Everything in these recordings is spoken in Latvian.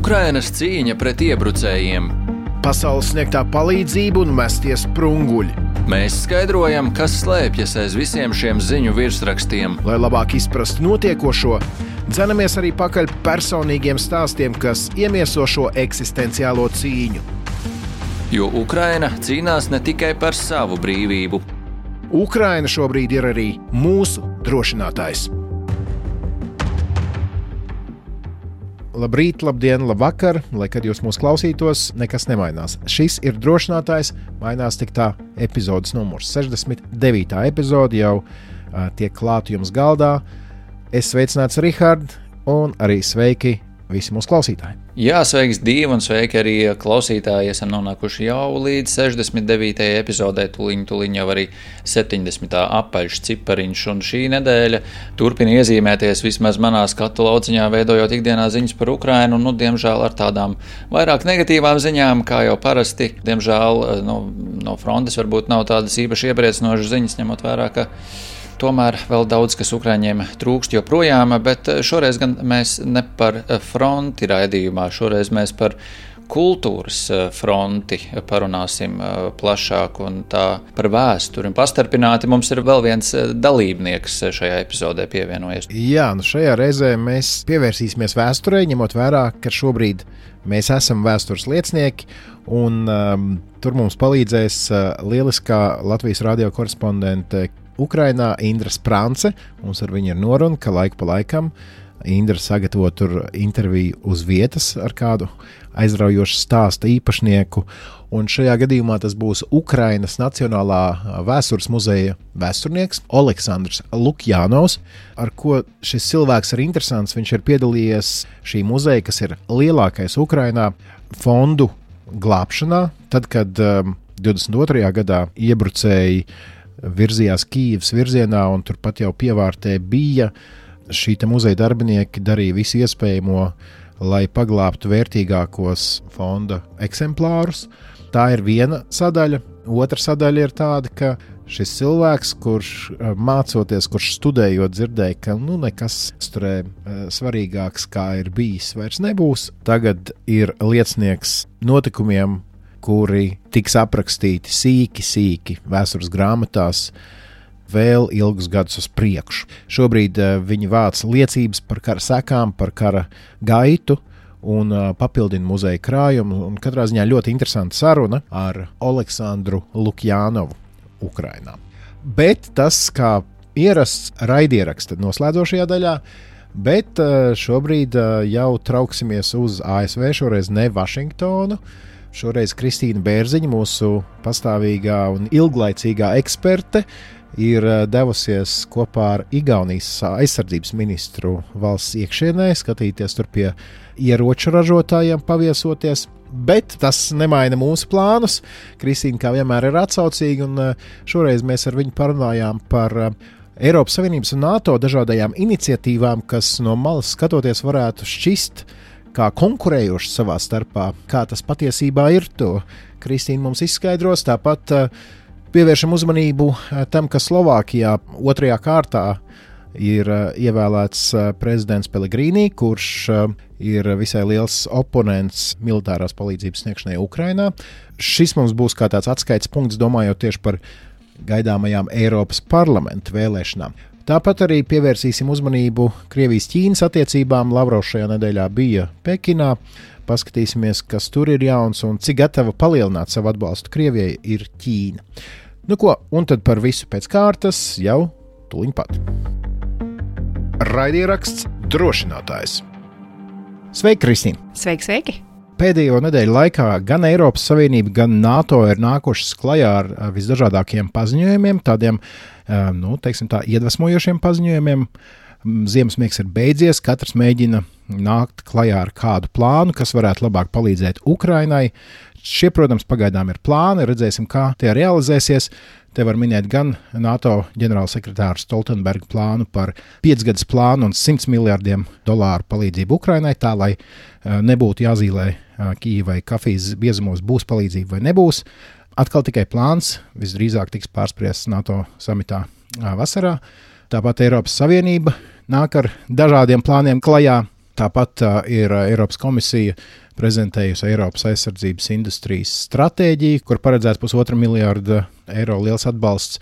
Ukrainas cīņa pret iebrucējiem. Pasaules sniegtā palīdzība un mestie sprunguļi. Mēs skaidrojam, kas slēpjas aiz visiem šiem ziņu virsrakstiem. Lai labāk izprastu notiekošo, dzenamies arī pakaļ personīgiem stāstiem, kas iemieso šo eksistenciālo cīņu. Jo Ukraina cīnās ne tikai par savu brīvību. Ukraina šobrīd ir arī mūsu drošinātājs. Labrīt, labdien, labvakar, lai kad jūs mūs klausītos, nekas nemainās. Šis ir drošinātājs, mainās tik tā epizodes numurs. 69. epizode jau tiek klāta jums galdā. Es sveicināts Rihards un arī sveiki visi mūsu klausītāji. Jā, sveiks Dīva un sveiki arī klausītāji. Esam nonākuši jau līdz 69. epizodē, tuliņ jau arī 70. apaļš cipariņš, un šī nedēļa turpina iezīmēties vismaz manā skatu lauciņā, veidojot ikdienā ziņas par Ukrainu, un diemžēl ar tādām vairāk negatīvām ziņām, kā jau parasti. Diemžēl no frontes varbūt nav tādas īpaši iepriecinošas ziņas, ņemot vērā, ka tomēr vēl daudz, kas Ukraiņiem trūkst joprojām, bet šoreiz gan mēs ne par fronti raidījumā, šoreiz mēs par kultūras fronti parunāsim plašāk un tā par vēsturi. Pastarpināti mums ir vēl viens dalībnieks šajā epizodē pievienojies. Jā, šajā reizē mēs pievērsīsimies vēsturei, ņemot vērā, ka šobrīd mēs esam vēstures liecinieki, un tur mums palīdzēs lieliskā Latvijas radio korespondente Ukrainā Indra Sprance. Mums ar viņu ir noruna, ka laiku pa laikam Indra sagatavo tur interviju uz vietas ar kādu aizraujošu stāsta īpašnieku, un šajā gadījumā tas būs Ukrainas Nacionālā vēstures muzeja vēsturnieks Oleksandrs Lukjanovs, ar ko šis cilvēks ir interesants. Viņš ir piedalījies šī muzeja, kas ir lielākais Ukrainā, fondu glābšanā, tad, kad 22. gadā iebrucēji virzījās Kijivas virzienā, un turpat jau pievārtē bija. Šī muzeja darbinieki darīja visu iespējamo, lai paglābtu vērtīgākos fonda eksemplārus. Tā ir viena sadaļa. Otra sadaļa ir tāda, ka šis cilvēks, kurš mācoties, kurš studējot, dzirdēja, ka nekas turē svarīgāks, kā ir bijis, vairs nebūs. Tagad ir liecinieks notikumiem, kuri tiks aprakstīti sīki vēstures grāmatās vēl ilgus gadus uz priekšu. Šobrīd viņi vāc liecības par kara sekām, par kara gaitu un papildina muzeja krājumu. Un katrā ziņā ļoti interesanta saruna ar Oleksandru Lukjanovu Ukrainā. Bet tas, kā ierasts raidieraksta noslēdzošajā daļā, bet šobrīd jau trauksimies uz ASV, šoreiz ne Vašingtonu. Šoreiz Kristīna Bērziņa, mūsu pastāvīgā un ilglaicīgā eksperte, ir devusies kopā ar Igaunijas aizsardzības ministru valsts iekšienē, skatīties tur pie ieroču ražotājiem, paviesoties. Bet tas nemaina mūsu plānus. Kristīna kā vienmēr ir atsaucīga, un šoreiz mēs ar viņu parunājām par Eiropas Savienības un NATO dažādajām iniciatīvām, kas no malas skatoties varētu šķist kā konkurējoši savā starpā, kā tas patiesībā ir. To Kristīna mums izskaidros. Tāpat pievēršam uzmanību tam, ka Slovākijā 2. kārtā ir ievēlēts prezidents Pellegrini, kurš ir visai liels oponents militārās palīdzības sniegšanai Ukrainā. Šis mums būs kā tāds atskaites punkts, domājot tieši par gaidāmajām Eiropas parlamenta vēlēšanām. Tāpat arī pievērsīsim uzmanību Krievijas-Ķīnas attiecībām. Lavrovs šajā nedēļā bija Pekinā. Paskatīsimies, kas tur ir jauns un cik gatava palielināt savu atbalstu Krievijai ir Ķīna. Un tad par visu pēc kārtas jau tuliņ pat. Raidieraksts drošinātājs. Sveiki, Kristīna! Sveiki! Pēdējo nedēļu laikā gan Eiropas Savienība, gan NATO ir nākušas klajā ar visdažādākiem paziņojumiem, tādiem, teiksim tā, iedvesmojošiem paziņojumiem. Ziemassmiegs ir beidzies, katrs mēģina nākt klajā ar kādu plānu, kas varētu labāk palīdzēt Ukrainai. Šie, protams, pagaidām ir plāni, redzēsim, kā tie realizēsies. Te var minēt gan NATO ģenerālsekretāru Stoltenberga plānu par 5-gadus plānu un $100 miljardiem palīdzību Ukrainai, tā lai nebūtu jāzīmē Kijivai kafijas biezumos, būs palīdzība vai nebūs. Atkal tikai plāns, visdrīzāk tiks pārspriests NATO samitā vasarā. Tāpat Eiropas Savienība nāk ar dažādiem plāniem klajā. Tāpat ir Eiropas komisija prezentējusi Eiropas aizsardzības industrijas stratēģiju, kur paredzēts $1,5 miljārda liels atbalsts.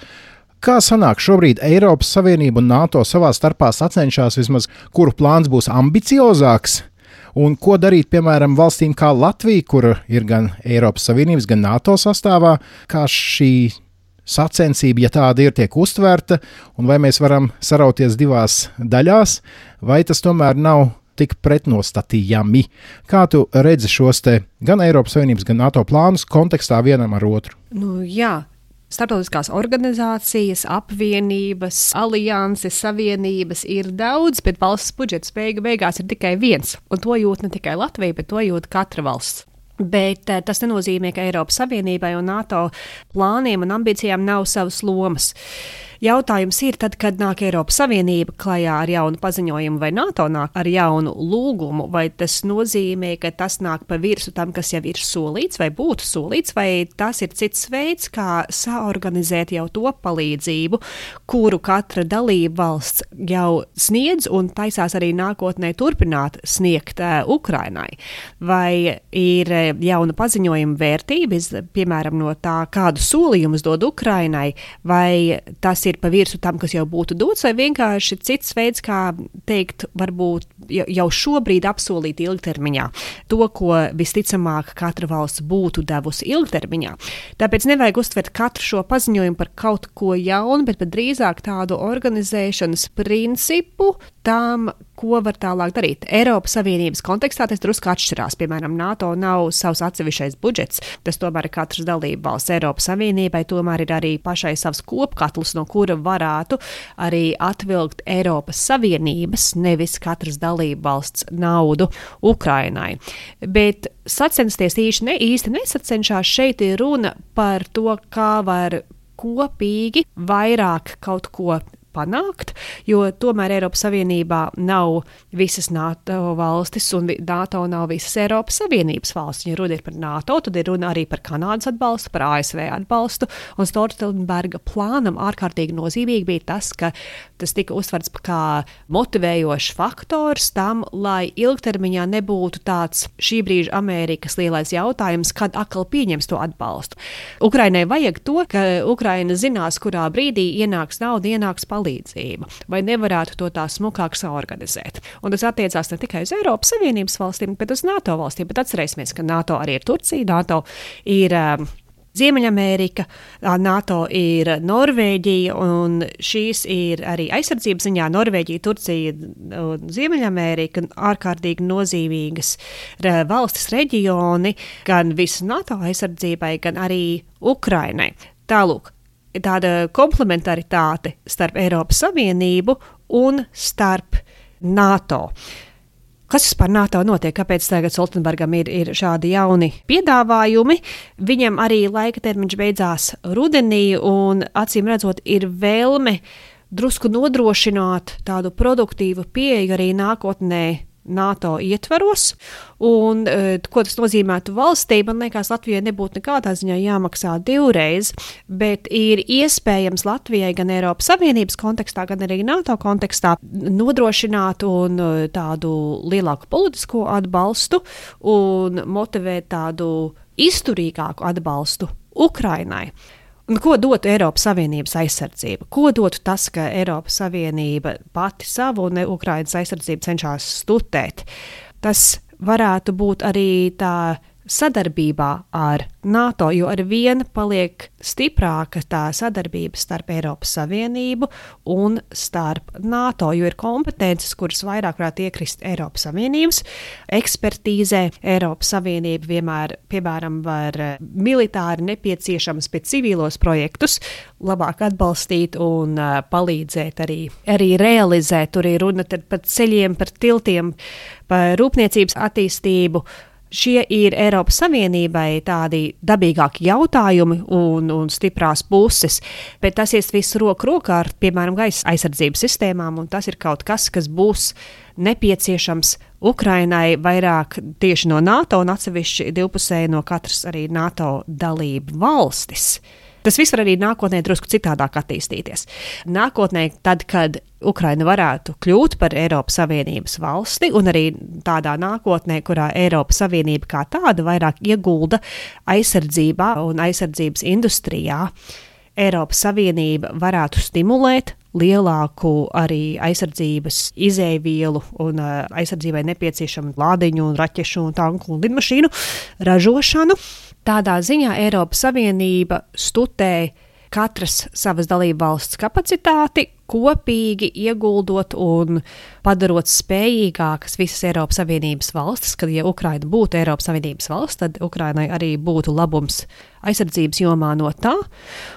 Kā sanāk šobrīd Eiropas Savienība un NATO savā starpā sacenšās vismaz, kuru plāns būs ambiciozāks? Un ko darīt, piemēram, valstīm kā Latvija, kur ir gan Eiropas Savienības, gan NATO sastāvā, kā šī sacensība, ja tāda ir, tiek uztverta, un vai mēs varam sarauties divās daļās, vai tas tomēr nav tik pretnostatījami? Kā tu redzi šos te gan Eiropas Savienības, gan NATO plānus kontekstā vienam ar otru? Jā. Starptautiskās organizācijas, apvienības, alianses, savienības ir daudz, bet valsts budžets beigās ir tikai viens. Un to jūt ne tikai Latvija, bet to jūt katra valsts. Bet tas nenozīmē, ka Eiropas Savienībai un NATO plāniem un ambīcijām nav savas lomas. Jautājums ir, tad, kad nāk Eiropas Savienība klajā ar jaunu paziņojumu vai NATO nāk ar jaunu lūgumu, vai tas nozīmē, ka tas nāk pa virsu tam, kas jau ir solīts vai būtu solīts, vai tas ir cits veids, kā saorganizēt jau to palīdzību, kuru katra dalība valsts jau sniedz un taisās arī nākotnē turpināt sniegt Ukrainai. Vai ir jauna paziņojuma vērtības, piemēram, no tā, kādu solījumus dod Ukrainai, vai tas ir pa virsu tam, kas jau būtu dots, vai vienkārši cits veids, kā teikt, varbūt jau šobrīd apsolīt ilgtermiņā to, ko visticamāk katra valsts būtu devusi ilgtermiņā. Tāpēc nevajag uztvert katru šo paziņojumu par kaut ko jaunu, bet drīzāk tādu organizēšanas principu tam, ko var tālāk darīt. Eiropas Savienības kontekstā tas drusku atšķirās. Piemēram, NATO nav savs atsevišķais budžets, tas tomēr ir katras dalība valsts. Eiropas Savienībai tomēr ir arī pašai savs kopkatls, no kura varētu arī atvilkt Eiropas Savienības, nevis katras dalība valsts naudu Ukrainai. Bet sacensties īsti nesacenšās. Šeit ir runa par to, kā var kopīgi vairāk kaut ko panākt, jo tomēr Eiropas Savienībā nav visas NATO valstis un NATO nav visas Eiropas Savienības valstis. Ja runa ir par NATO, tad ir runa arī par Kanādas atbalstu, par ASV atbalstu, un Stoltenberga plānam ārkārtīgi nozīmīgi bija tas, ka tas tika uztverts kā motivējošs faktors tam, lai ilgtermiņā nebūtu tāds šī brīža Amerikas lielais jautājums, kad atkal pieņems to atbalstu. Ukrainai vajag to, ka Ukraina zinās, kurā brīdī ienāks nauda, ienāks palīdzība, vai nevarētu to tā smukāk saorganizēt. Un tas attiecās ne tikai uz Eiropas Savienības valstīm, bet uz NATO valstīm. Bet atcerēsimies, ka NATO arī ir Turcija, NATO ir Ziemeļamerika, NATO ir Norvēģija, un šīs ir arī aizsardzības ziņā Norvēģija, Turcija un Ziemeļamerika ārkārtīgi nozīmīgas valstis reģioni, gan visu NATO aizsardzībai, gan arī Ukrainai. Tālūk, tāda komplementaritāte starp Eiropas Savienību un starp NATO. Kas par NATO notiek? Kāpēc tagad Stoltenbergam ir šādi jauni piedāvājumi? Viņam arī laika termiņš beidzās rudenī, un acīm redzot ir vēlme drusku nodrošināt tādu produktīvu pieeju arī nākotnē NATO ietvaros, un ko tas nozīmētu valstī, man liekas, Latvijai nebūtu nekādā ziņā jāmaksā divreiz, bet ir iespējams Latvijai gan Eiropas Savienības kontekstā, gan arī NATO kontekstā nodrošināt un tādu lielāku politisko atbalstu un motivēt tādu izturīgāku atbalstu Ukrainai. Un ko dotu Eiropas Savienības aizsardzība? Ko dotu tas, ka Eiropas Savienība pati savu un Ukrainas aizsardzību cenšas stutēt? Tas varētu būt arī tā sadarbībā ar NATO, jo ar vienu paliek stiprāka tā sadarbība starp Eiropas Savienību un starp NATO, jo ir kompetences, kuras vairāk varētu iekrist Eiropas Savienības ekspertīzē. Eiropas Savienība vienmēr, piemēram, var militāri nepieciešams pēc civilos projektus labāk atbalstīt un palīdzēt arī realizēt. Tur ir runa par ceļiem, par tiltiem, par rūpniecības attīstību. Šie ir Eiropas Savienībai tādi dabīgāki jautājumi un stiprās puses, bet tas ies visu roku rokā ar, piemēram, gaisa aizsardzības sistēmām, un tas ir kaut kas, kas būs nepieciešams Ukrainai vairāk tieši no NATO un atsevišķi divpusēji no katras arī NATO dalību valstis. Tas viss var arī nākotnē drusku citādāk attīstīties. Nākotnē, tad, kad Ukraina varētu kļūt par Eiropas Savienības valsti, un arī tādā nākotnē, kurā Eiropas Savienība kā tāda vairāk iegulda aizsardzībā un aizsardzības industrijā, Eiropas Savienība varētu stimulēt lielāku arī aizsardzības izēvielu un aizsardzībai nepieciešamu lādiņu, raķešu, tanku un lidmašīnu ražošanu. Tādā ziņā Eiropas Savienība studē katras savas dalībvalsts kapacitāti, kopīgi ieguldot un padarot spējīgākas visas Eiropas Savienības valstis, kad, ja Ukraina būtu Eiropas Savienības valsts, tad Ukrainai arī būtu labums aizsardzības jomā no tā.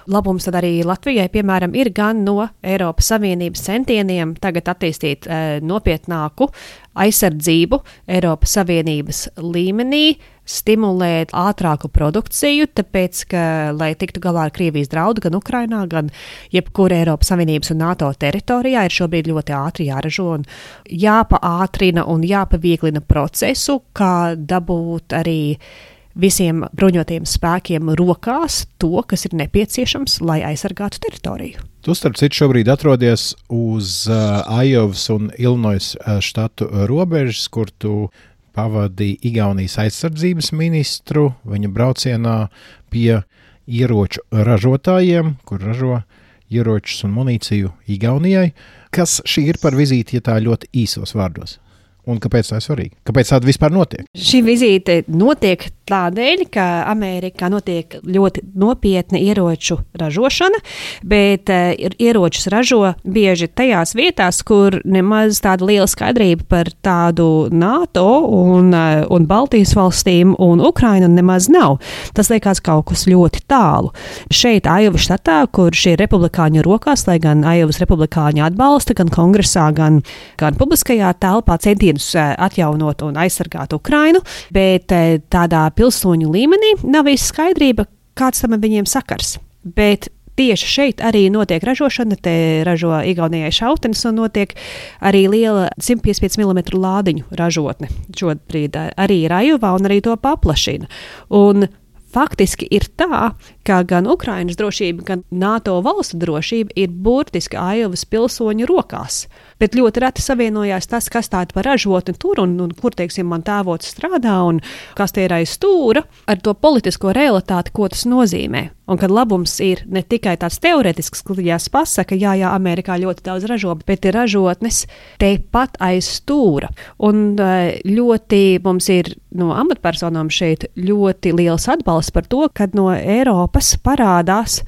Labums tad arī Latvijai, piemēram, ir gan no Eiropas Savienības centieniem tagad attīstīt nopietnāku aizsardzību Eiropas Savienības līmenī, stimulēt ātrāku produkciju, tāpēc, ka, lai tiktu galā ar Krievijas draudu gan Ukrainā, gan jebkura Eiropas Savienības un NATO teritorijā, ir šobrīd ļoti ātri jāražo un jāpaātrina un jāpavieglina procesu, kā dabūt arī visiem bruņotajiem spēkiem rokās to, kas ir nepieciešams, lai aizsargātu teritoriju. Tu, starp citu, šobrīd atrodies uz Aiovas un Ilinojas štatu robežas, kur tu pavadīja Igaunijas aizsardzības ministru viņa braucienā pie ieroču ražotājiem, kur ražo ieročus un munīciju Igaunijai. Kas šī ir par vizīti, ja tā ļoti īsos vārdos? Un kāpēc tā ir svarīga? Kāpēc tāda vispār notiek? Šī vizīte notiek tādēļ, ka Amerikā notiek ļoti nopietna ieroču ražošana, bet ieročus ražo bieži tajās vietās, kur nemaz tāda liela skaidrība par tādu NATO un Baltijas valstīm un Ukrainu nemaz nav. Tas liekas kaut kas ļoti tālu. Šeit Aiovas štatā, kur šie republikāņu rokās, lai gan Aiovas republikāņi atbalsta gan kongresā, gan publiskajā telpā centienus atjaunot un aizsargāt Ukrainu, bet tādā pilsoņu līmenī nav īsti skaidrība, kāds tam viņiem sakars. Bet tieši šeit arī notiek ražošana, te ražo Igaunijai šautenes un notiek arī liela 155 mm lādiņu ražotne. Šobrīd arī ir Aiovā un arī to paplašina. Un faktiski ir tā, ka gan Ukrainas drošība, gan NATO valstu drošība ir burtiski Aiovas pilsoņu rokās. Bet ļoti reti savienojās tas, kas tāda par ražotni tur un kur, teiksim, man tēvots strādā un kas tie ir aiz stūra, ar to politisko realitāti, ko tas nozīmē. Un kad labums ir ne tikai tāds teoretisks, kliģās pasaka, jā, Amerikā ļoti daudz ražo, bet ir ražotnes tepat aiz stūra. Un ļoti mums ir no amatpersonām šeit ļoti liels atbalsts par to, kad no Eiropas parādās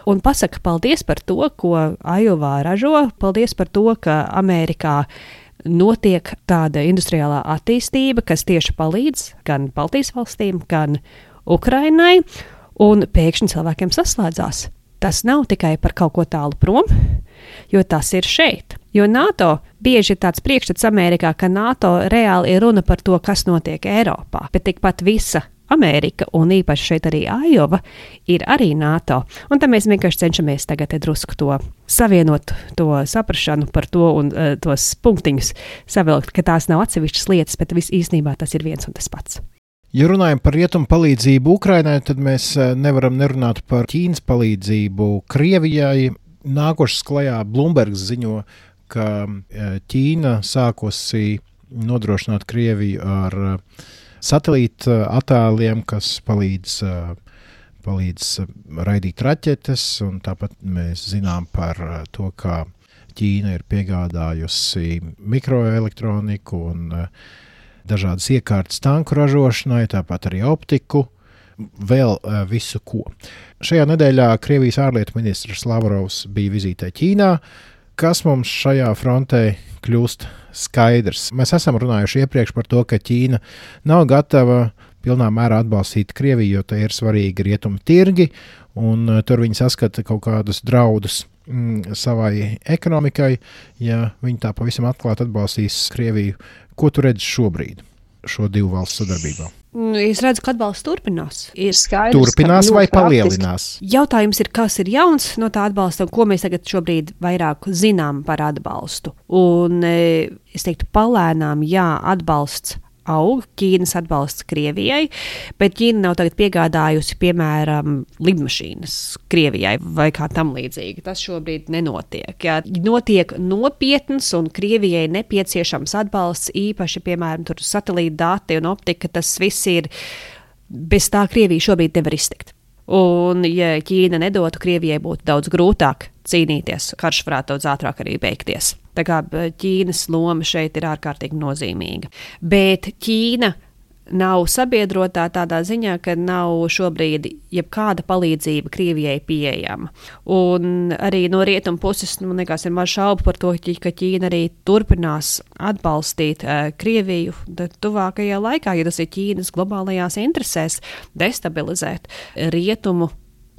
un pasaka paldies par to, ko Aiovā ražo, paldies par to, ka Amerikā notiek tāda industriālā attīstība, kas tieši palīdz gan Baltijas valstīm, gan Ukrainai, un pēkšņi cilvēkiem saslēdzās. Tas nav tikai par kaut ko tālu prom, jo tas ir šeit. Jo NATO bieži ir tāds priekšstats Amerikā, ka NATO reāli ir runa par to, kas notiek Eiropā, bet tikpat visa Amerika un īpaši šeit arī Aiova ir arī NATO. Un tad mēs vienkārši cenšamies tagad drusku to savienot, to saprašanu par to un tos punktiņus savilkt, ka tās nav atsevišķas lietas, bet viss īstenībā tas ir viens un tas pats. Ja runājam par rietumu palīdzību Ukrainai, tad mēs nevaram nerunāt par Ķīnas palīdzību Krievijai. Nākošais klajā Bloombergs ziņo, ka Ķīna sākusi nodrošināt Krieviju ar satelīta attēliem, kas palīdz raidīt raķetes, un tāpat mēs zinām par to, kā Ķīna ir piegādājusi mikroelektroniku un dažādas iekārtas tanku ražošanai, tāpat arī optiku, vēl visu ko. Šajā nedēļā Krievijas ārlietu ministrs Lavrovs bija vizītē Ķīnā. Kas mums šajā frontē kļūst skaidrs? Mēs esam runājuši iepriekš par to, ka Ķīna nav gatava pilnā mērā atbalstīt Krieviju, jo tai ir svarīgi rietumu tirgi, un tur viņi saskata kaut kādus draudus savai ekonomikai, ja viņi tā pavisam atklāti atbalstīs Krieviju. Ko tu redzi šobrīd šo divu valstu sadarbībā? Es redzu, ka atbalsts turpinās. Ir skaidrs, turpinās vai palielinās? Jautājums ir, kas ir jauns no tā atbalsta un ko mēs tagad šobrīd vairāk zinām par atbalstu. Un es teiktu, palēnām, jā, atbalsts aug Ķīnas atbalsts Krievijai, bet Ķīna nav tagad piegādājusi, piemēram, lidmašīnas Krievijai vai kā tam līdzīgi. Tas šobrīd nenotiek. Ja notiek nopietns un Krievijai nepieciešams atbalsts, īpaši, piemēram, tur satelīta dati un optika, tas viss ir, bez tā Krievija šobrīd nevar iztikt. Un, ja Ķīna nedotu, Krievijai būtu daudz grūtāk cīnīties, karš varētu daudz ātrāk arī beigties. Tā kā Ķīnas loma šeit ir ārkārtīgi nozīmīga. Bet Ķīna nav sabiedrotā tādā ziņā, ka nav šobrīd jebkāda palīdzība Krievijai pieejama. Un arī no rietumu puses, man liekas, ir maz šaubu par to, ka Ķīna arī turpinās atbalstīt Krieviju tuvākajā laikā, ja tas ir Ķīnas globālajās interesēs destabilizēt rietumu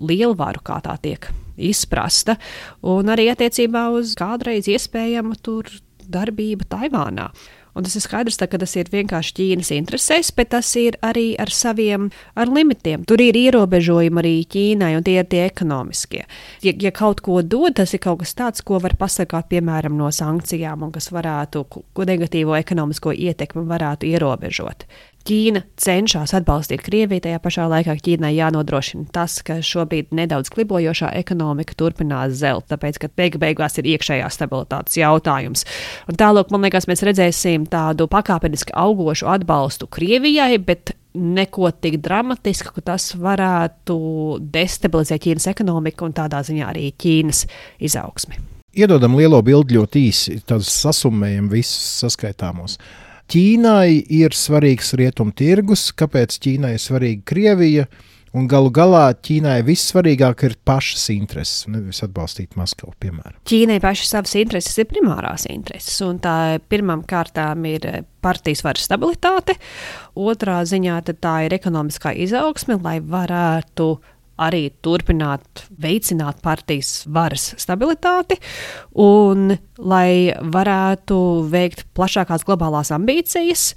lielvaru, kā tā tiek izprasta, un arī attiecībā uz kādreiz iespējamu tur darbību Taivānā. Un tas ir skaidrs, ka tas ir vienkārši Ķīnas interesēs, bet tas ir arī ar saviem limitiem. Tur ir ierobežojumi arī Ķīnai, un tie ir tie ekonomiskie. Ja kaut ko dod, tas ir kaut kas tāds, ko var pasargāt, piemēram, no sankcijām, un kas varētu, ko negatīvo ekonomisko ietekmi varētu ierobežot. Ķīna cenšas atbalstīt Krieviju, tajā pašā laikā Ķīnai jānodrošina tas, ka šobrīd nedaudz klibojošā ekonomika turpinās zelt, tāpēc, ka beigās ir iekšējā stabilitātes jautājums. Un tālāk, man liekas, mēs redzēsim tādu pakāpeniski augošu atbalstu Krievijai, bet neko tik dramatisku, ka tas varētu destabilizēt Ķīnas ekonomiku un tādā ziņā arī Ķīnas izaugsmi. Iedodam lielo bildi ļoti īsi, tad sasummējam visus saskaitāmos. Ķīnai ir svarīgs rietumu tirgus, kāpēc Ķīnai ir svarīga Krievija, un galu galā Ķīnai vissvarīgāk ir pašas intereses, nevis atbalstīt Maskavu, piemēram. Ķīnai pašas savas intereses ir primārās intereses, un tā pirmām kārtām ir partijas varas stabilitāte, otrā ziņā tad tā ir ekonomiskā izaugsme, lai varētu arī turpināt veicināt partijas varas stabilitāti un lai varētu veikt plašākās globālās ambīcijas,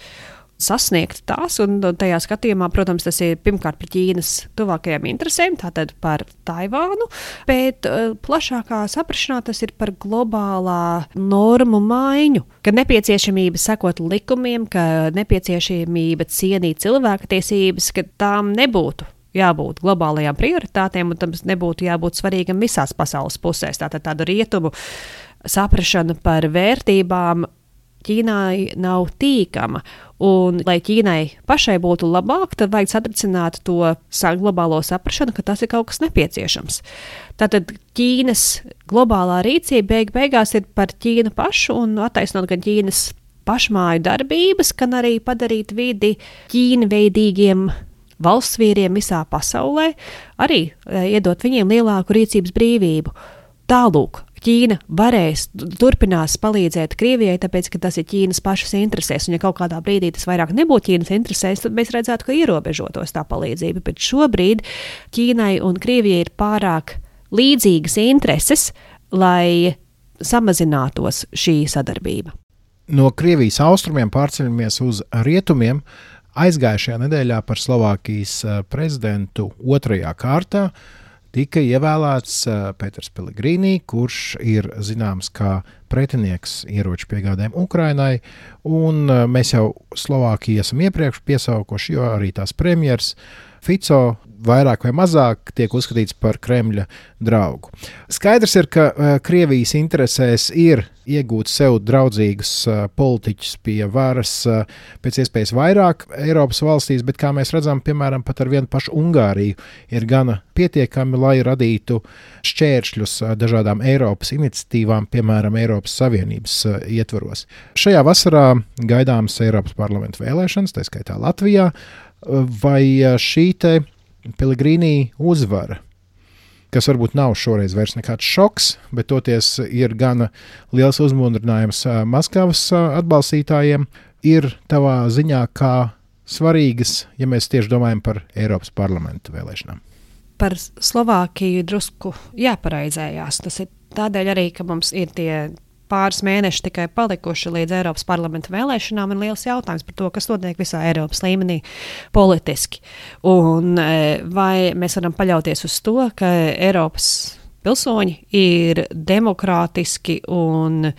sasniegt tās, un tajā skatījumā, protams, tas ir pirmkārt par Ķīnas tuvākajām interesēm, tātad par Taivānu, bet plašākā saprašanā tas ir par globālā normu maiņu, ka nepieciešamība sekot likumiem, ka nepieciešamība cienīt cilvēktiesības, ka tām nebūtu jābūt globālajām prioritātēm, un tam nebūtu jābūt svarīgam visās pasaules pusēs. Tātad tāda rietumu saprašana par vērtībām Ķīnai nav tīkama, un lai Ķīnai pašai būtu labāk, tad vajag satricināt to globālo saprašanu, ka tas ir kaut kas nepieciešams. Tātad Ķīnas globālā rīcība beigās ir par Ķīnu pašu un attaisnot gan Ķīnas pašmāju darbības, gan arī padarīt vidi Ķīna veidīgiem valsts vīriem visā pasaulē, arī iedot viņiem lielāku rīcības brīvību. Tālūk, Ķīna turpinās palīdzēt Krievijai, tāpēc, ka tas ir Ķīnas pašas interesēs, un ja kaut kādā brīdī tas vairāk nebūtu Ķīnas interesēs, tad mēs redzētu, ka ierobežotos tā palīdzība, bet šobrīd Ķīnai un Krievijai ir pārāk līdzīgas intereses, lai samazinātos šī sadarbība. No Krievijas austrumiem pārceļamies uz rietumiem. Aizgājušajā nedēļā par Slovākijas prezidentu otrajā kārtā tika ievēlēts Peters Pellegrini, kurš ir zināms kā pretinieks ieroču piegādēm Ukrainai, un mēs jau Slovākiju esam iepriekš piesaukuši, jo arī tās premjers Fico vairāk vai mazāk tiek uzskatīts par Kremļa draugu. Skaidrs ir, ka Krievijas interesēs ir iegūt sev draudzīgus politiķus pie varas pēc iespējas vairāk Eiropas valstīs, bet kā mēs redzam, piemēram, pat ar vienu pašu Ungāriju ir gana pietiekami, lai radītu šķēršļus dažādām Eiropas iniciatīvām, piemēram, Eiropas Savienības ietvaros. Šajā vasarā gaidāmas Eiropas parlamenta vēlēšanas, tā skaitā Latvijā, vai šī te Pellegrini uzvara, kas varbūt nav šoreiz vairs nekāds šoks, bet toties ir gana liels uzmundrinājums Maskavas atbalstītājiem, ir tavā ziņā kā svarīgas, ja mēs tieši domājam par Eiropas parlamenta vēlēšanām? Par Slovākiju drusku jāpareizējās. Tas ir tādēļ arī, ka mums ir tie pāris mēneši tikai palikuši līdz Eiropas parlamenta vēlēšanām, ir liels jautājums par to, kas notiek visā Eiropas līmenī politiski. Un vai mēs varam paļauties uz to, ka Eiropas pilsoņi ir demokrātiski un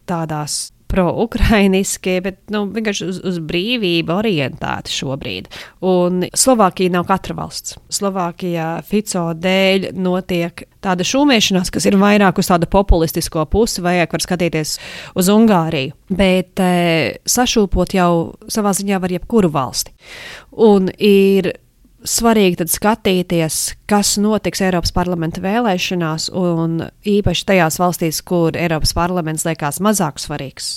tādās pro-ukrainiski, bet vienkārši uz brīvību orientēti šobrīd. Un Slovākija nav katra valsts. Slovākijā Fico dēļ notiek tāda šūmēšanās, kas ir vairāk uz tādu populistisko pusi, vajag var skatīties uz Ungāriju. Bet sašūpot jau savā ziņā var jebkuru valsti. Un ir svarīgi tad skatīties, kas notiks Eiropas parlamenta vēlēšanās, un īpaši tajās valstīs, kur Eiropas parlaments liekas mazāk svarīgs.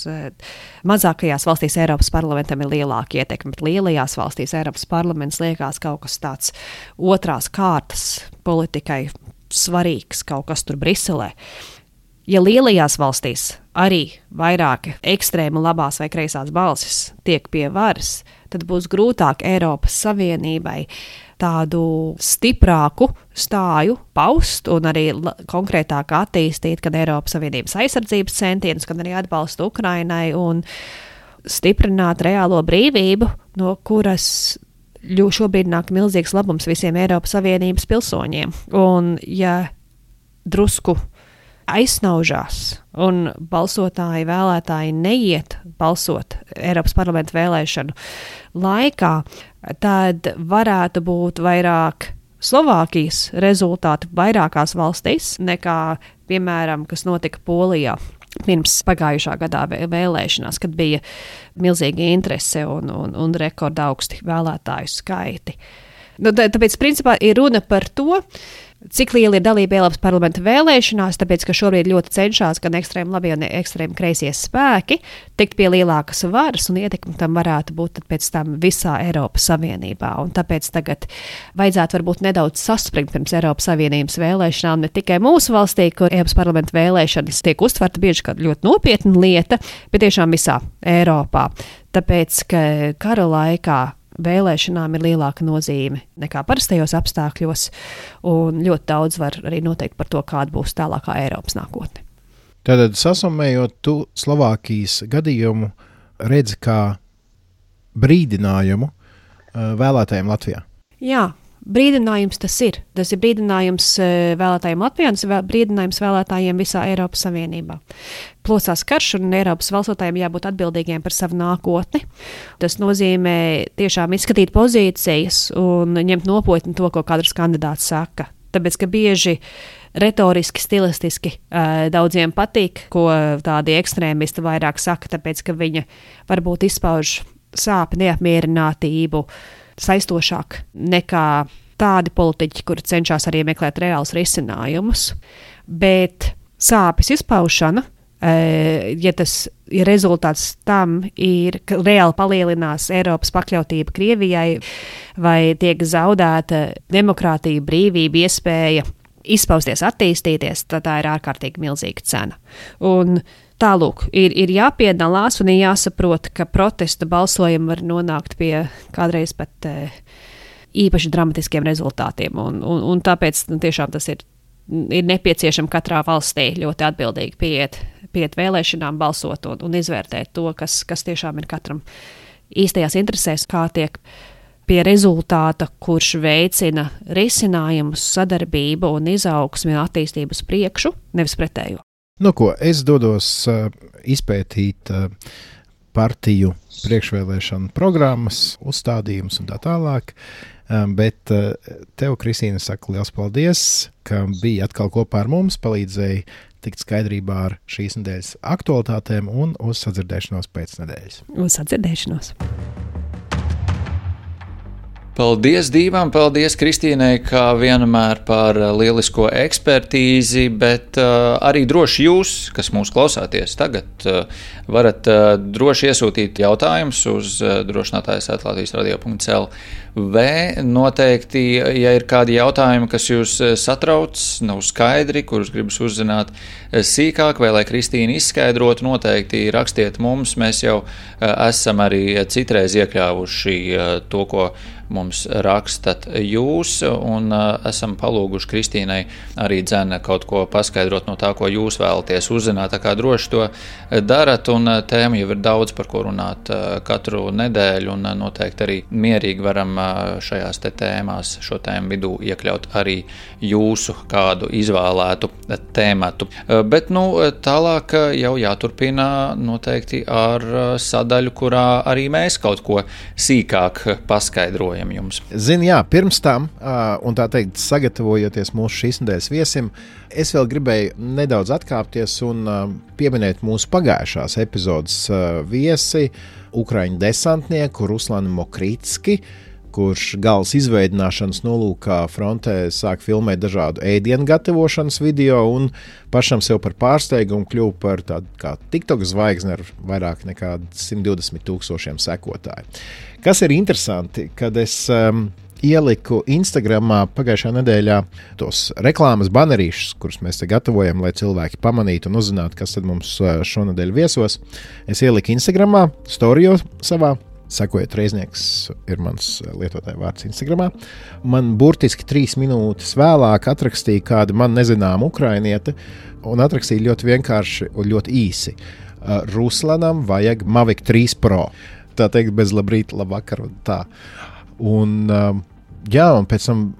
Mazākajās valstīs Eiropas parlamentam ir lielāka ietekme, bet lielajās valstīs Eiropas parlaments liekas kaut kas tāds otrās kārtas politikai svarīgs, kaut kas tur Briselē. Ja lielajās valstīs arī vairāk ekstrēmu labās vai kreisās balsis tiek pie varas, tad būs grūtāk Eiropas Savienībai tādu stiprāku stāju paust un arī konkrētāk attīstīt gan Eiropas Savienības aizsardzības centienus, gan arī atbalstu Ukrainai un stiprināt reālo brīvību, no kuras šobrīd nāk milzīgs labums visiem Eiropas Savienības pilsoņiem. Un ja drusku aizsnaužās un balsotāji, vēlētāji neiet balsot Eiropas parlamenta vēlēšanu laikā, tad varētu būt vairāk Slovākijas rezultāti vairākās valstīs nekā, piemēram, kas notika Polijā pirms pagājušā gadā vēlēšanās, kad bija milzīga interese un rekordaugsti vēlētāju skaiti. Tāpēc, principā, ir runa par to, cik liela ir dalība Eiropas parlamenta vēlēšanās, tāpēc, ka šobrīd ļoti cenšas gan ekstrēmi labie un ekstrēmi kreisie spēki tikt pie lielākas varas, un ietekme tam varētu būt pēc tam visā Eiropas Savienībā. Un tāpēc tagad vajadzētu varbūt nedaudz saspringt pirms Eiropas Savienības vēlēšanām, ne tikai mūsu valstī, kur Eiropas parlamenta vēlēšanas tiek uztverta bieži kā ļoti nopietna lieta, bet tiešām visā Eiropā. Tāpēc, ka kara laikā vēlēšanām ir lielāka nozīme nekā parastajos apstākļos, un ļoti daudz var arī noteikt par to, kāda būs tālākā Eiropas nākotne. Tātad, sasumējot, tu Slovākijas gadījumu redzi kā brīdinājumu vēlētājiem Latvijā? Jā. Brīdinājums tas ir. Tas ir brīdinājums vēlētājiem Latvijā, tas ir brīdinājums vēlētājiem visā Eiropas Savienībā. Plosās karš, un Eiropas valstsotājiem jābūt atbildīgiem par savu nākotni. Tas nozīmē tiešām izskatīt pozīcijas un ņemt nopietni to, ko katrs kandidāts saka. Tāpēc, ka bieži retoriski, stilistiski daudziem patīk, ko tādi ekstrēmisti vairāk saka, tāpēc, ka viņa varbūt izpauž sāpi, neapmierinātību, saistošāk nekā tādi politiķi, kuri cenšas arī meklēt reālus risinājumus. Bet sāpes izpaušana, ja tas ir rezultāts tam, ir, ka reāli palielinās Eiropas pakļautība Krievijai vai tiek zaudēta demokrātija, brīvība, iespēja izpausties, attīstīties, tad tā ir ārkārtīgi milzīga cena. Un tālūk, ir jāpiedalās un ir jāsaprot, ka protesta balsojumi var nonākt pie kādreiz pat īpaši dramatiskiem rezultātiem. Un tāpēc tiešām tas ir nepieciešams katrā valstī ļoti atbildīgi pieiet vēlēšanām, balsot un izvērtēt to, kas tiešām ir katram īstajās interesēs, kā tiek pie rezultāta, kurš veicina risinājumus, sadarbību un izaugsmi un attīstību uz priekšu, nevis pretējo. Es dodos izpētīt partiju priekšvēlēšanu programmas, uzstādījumus un tā tālāk, bet tev, Kristīne, saku liels paldies, ka biji atkal kopā ar mums, palīdzēji tikt skaidrībā ar šīs nedēļas aktualitātēm un uz sadzirdēšanos pēc nedēļas. Uz sadzirdēšanos! Paldies Dīvam, paldies Kristīnei, kā vienmēr par lielisko ekspertīzi, bet arī droši jūs, kas mūs klausāties tagad, varat droši iesūtīt jautājumus uz drošinātājs@latvijas-radio.lv. Noteikti, ja ir kādi jautājumi, kas jūs satrauc, nav skaidri, kurus gribas uzzināt sīkāk, vai lai Kristīna izskaidrotu, noteikti rakstiet mums. Mēs jau esam arī citreiz iekļāvuši to, ko mums rakstat jūs, un esam palūguši Kristīnai arī dzene kaut ko paskaidrot no tā, ko jūs vēlaties uzzināt, tā kā droši to darat, un tēma jau ir daudz, par ko runāt katru nedēļu, un noteikti arī mierīgi varam šajās te tēmās, šo tēmu vidū iekļaut arī jūsu kādu izvēlētu tēmatu. Bet, tālāk jau jāturpina noteikti ar sadaļu, kurā arī mēs kaut ko sīkāk paskaidrojam jums. Zini, jā, pirms tam, un tā teikt, sagatavojoties mūsu šīs nedēļas viesim, es vēl gribēju nedaudz atkāpties un pieminēt mūsu pagājušās epizodes viesi, ukraiņu desantnieku Ruslanu Mokrītski, kurš galas izveidināšanas nolūkā frontē sāk filmēt dažādu ēdienu gatavošanas video un pašam sev par pārsteigumu kļuva par tādu kā TikTok zvaigzni ar vairāk nekā 120,000 sekotāju. Kas ir interesanti, kad es ieliku Instagramā pagājušā nedēļā tos reklāmas banerīšus, kurus mēs te gatavojam, lai cilvēki pamanītu un uzzinātu, kas tad mums šonedēļ viesos. Es ieliku Instagramā, storijos savā. Sekojiet, Reiznieks ir mans lietotāja vārds Instagramā. Man burtiski 3 minūtes vēlāk atrakstīja kāda man nezināma ukrainiete un atrakstīja ļoti vienkārši un ļoti īsi. Ruslanam vajag Mavic 3 Pro. Tā teikt bez labrīt, labvakar un tā. Un pēc tam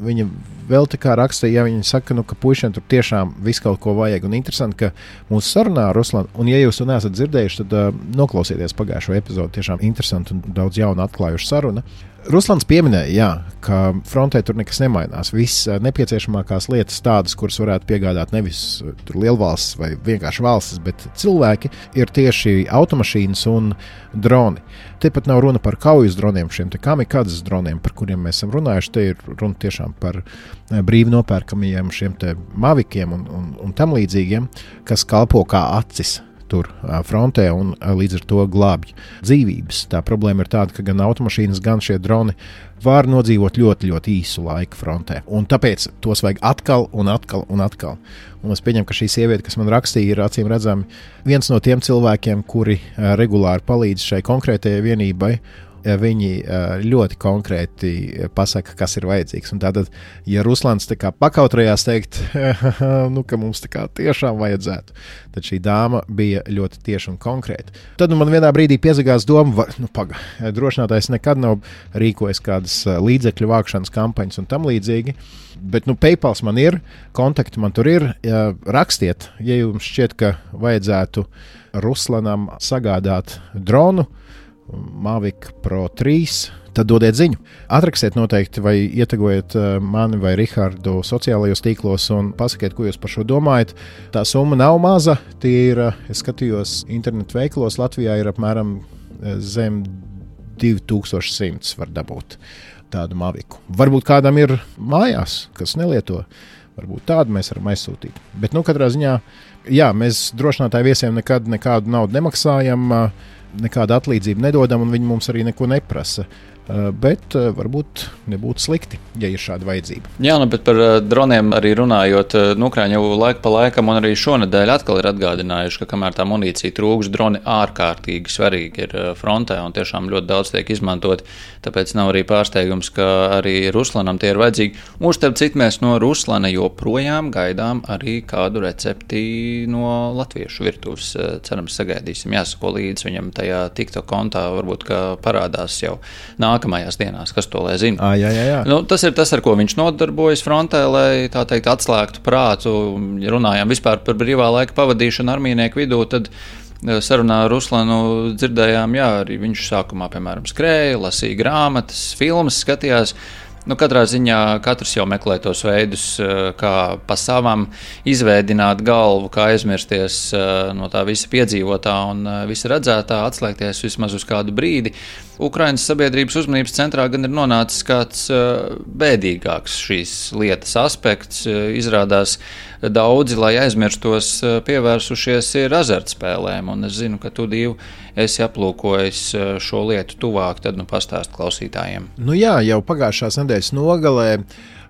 viņa vēl tā kā rakstīja, ja viņa saka, ka puišiem tur tiešām viss kaut ko vajag. Un interesanti, ka mūsu sarunā ar Ruslanu, un ja jūs to neesat dzirdējuši, tad noklausieties pagājušo epizodu, tiešām interesanti un daudz jaunu atklājušu saruna. Ruslans pieminēja, ka frontē tur nekas nemainās. Viss nepieciešamākās lietas tādas, kuras varētu piegādāt nevis lielvalstis vai vienkārši valstis, bet cilvēki, ir tieši automašīnas un droni. Te pat nav runa par kaujas droniem, šiem te kamikadzes droniem, par kuriem mēs esam runājuši. Te ir runa tiešām par brīvi nopērkamajiem šiem te mavikiem un tam līdzīgiem, kas kalpo kā acis tur frontē un līdz ar to glābj dzīvības. Tā problēma ir tāda, ka gan automašīnas, gan šie droni var nodzīvot ļoti, ļoti īsu laiku frontē. Un tāpēc tos vajag atkal un atkal un atkal. Un es pieņemu, ka šī sieviete, kas man rakstīja, ir acīm redzami viens no tiem cilvēkiem, kuri regulāri palīdz šai konkrētajai vienībai. Viņi ļoti konkrēti pasaka, kas ir vajadzīgs. Un tātad, ja Ruslans tā kā pakautrējās teikt, ka mums tā kā tiešām vajadzētu, tad šī dāma bija ļoti tieši un konkrēta. Tad man vienā brīdī piezagās doma, drošinātājs nekad nav rīkojis kādas līdzekļu vākšanas kampaņas un tam līdzīgi, bet PayPals man ir, kontakti man tur ir, rakstiet, ja jums šķiet, ka vajadzētu Ruslanam sagādāt dronu, Mavic Pro 3, tad dodiet ziņu. Atrakstiet noteikti vai ietegojiet mani vai Rihardu sociālajos tīklos un pasakiet, ko jūs par šo domājat. Tā summa nav maza, tie ir, es skatījos internetu veikalos, Latvijā ir apmēram zem 2100 var dabūt tādu Mavicu. Varbūt kādam ir mājās, kas nelieto, varbūt tādu mēs varam aizsūtīt. Bet katrā ziņā, jā, mēs drošinātāju viesiem nekad nekādu naudu nemaksājam, nekādu atlīdzību nedodam, un viņi mums arī neko neprasa. Bet varbūt nebūtu slikti, ja ir šāda vajadzība. Jā, bet par droniem arī runājot, Ukraiņi jau laiku pa laikam un arī šonedēļ atkal ir atgādinājuši, ka kamēr tā munīcija trūks, droni ārkārtīgi svarīgi ir frontē un tiešām ļoti daudz tiek izmantot, tāpēc nav arī pārsteigums, ka arī Ruslanam tie ir vajadzīgi. Un starp citu mēs no Ruslana joprojām gaidām arī kādu recepti no latviešu virtuves. Cerams, sagaidīsim, jāsako līdz viņam tajā TikTok kontā, varbūt, ka parādās jau nākamajās dienās, kas to lai zina. Jā. Tas ir tas, ar ko viņš nodarbojas frontē, lai tā teikt atslēgtu prātu. Ja runājām vispār par brīvā laika pavadīšanu armijnieku vidū, tad sarunā ar Ruslanu dzirdējām, arī viņš sākumā, piemēram, skrēja, lasīja grāmatas, filmas, skatījās. Katrā ziņā katrs jau meklē tos veidus, kā pa savam izveidināt galvu, kā aizmirsties no tā visa piedzīvotā un visa redzētā, atslēgties vismaz uz kādu brīdi. Ukrainas sabiedrības uzmanības centrā gan ir nonācis kāds bēdīgāks šīs lietas aspekts. Izrādās daudzi, lai aizmirstos, pievērsušies ir azartspēlēm, un es zinu, ka tu, Dīvu, esi aplūkojis šo lietu tuvāk, tad pastāst klausītājiem. Jā, jau pagājušās nedēļas nogalē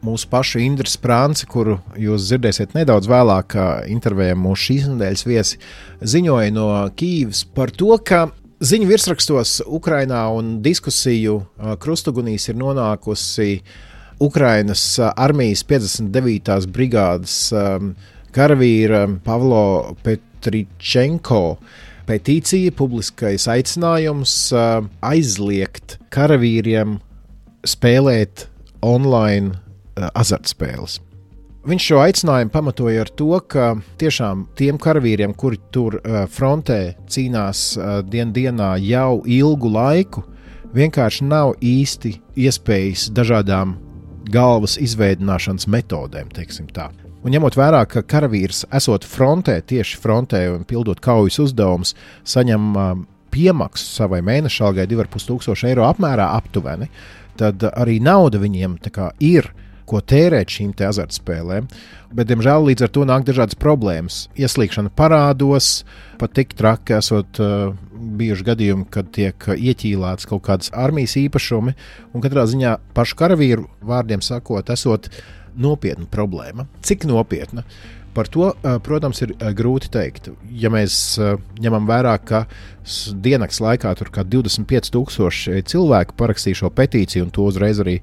mūsu pašu Indras Prānci, kuru jūs dzirdēsiet nedaudz vēlāk intervējā mūsu šīs nedēļas viesi, ziņoja no Kīivas par to, ka Ziņu virsrakstos Ukrainā un diskusiju krustugunīs ir nonākusi Ukrainas armijas 59. brigādes karavīra Pavlo Petričenko petīcija, publiskais aicinājums aizliegt karavīriem spēlēt online azartspēles. Viņš šo aicinājumu pamatoja ar to, ka tiešām tiem karavīriem, kuri tur frontē cīnās dienā jau ilgu laiku, vienkārši nav īsti iespējas dažādām galvas izveidināšanas metodēm, teiksim tā. Un ņemot vērā, ka karavīrs esot frontē, tieši frontē un pildot kaujas uzdevumus, saņem piemaksu savai mēneša algai 2500 eiro apmērā aptuveni, tad arī nauda viņiem tā kā ir, ko tērēt šīm te azartspēlēm, bet, diemžēl, līdz ar to nāk dažādas problēmas. Ieslīgšana parādos, pat tik traki esot bijuši gadījumi, kad tiek ieķīlēts kaut kādas armijas īpašumi, un katrā ziņā pašu karavīru vārdiem sakot, esot nopietna problēma. Cik nopietna? Par to, protams, ir grūti teikt. Ja mēs ņemam vērā, ka diennakts laikā tur kā 25,000 cilvēku parakstīja šo petīciju, un to uzreiz arī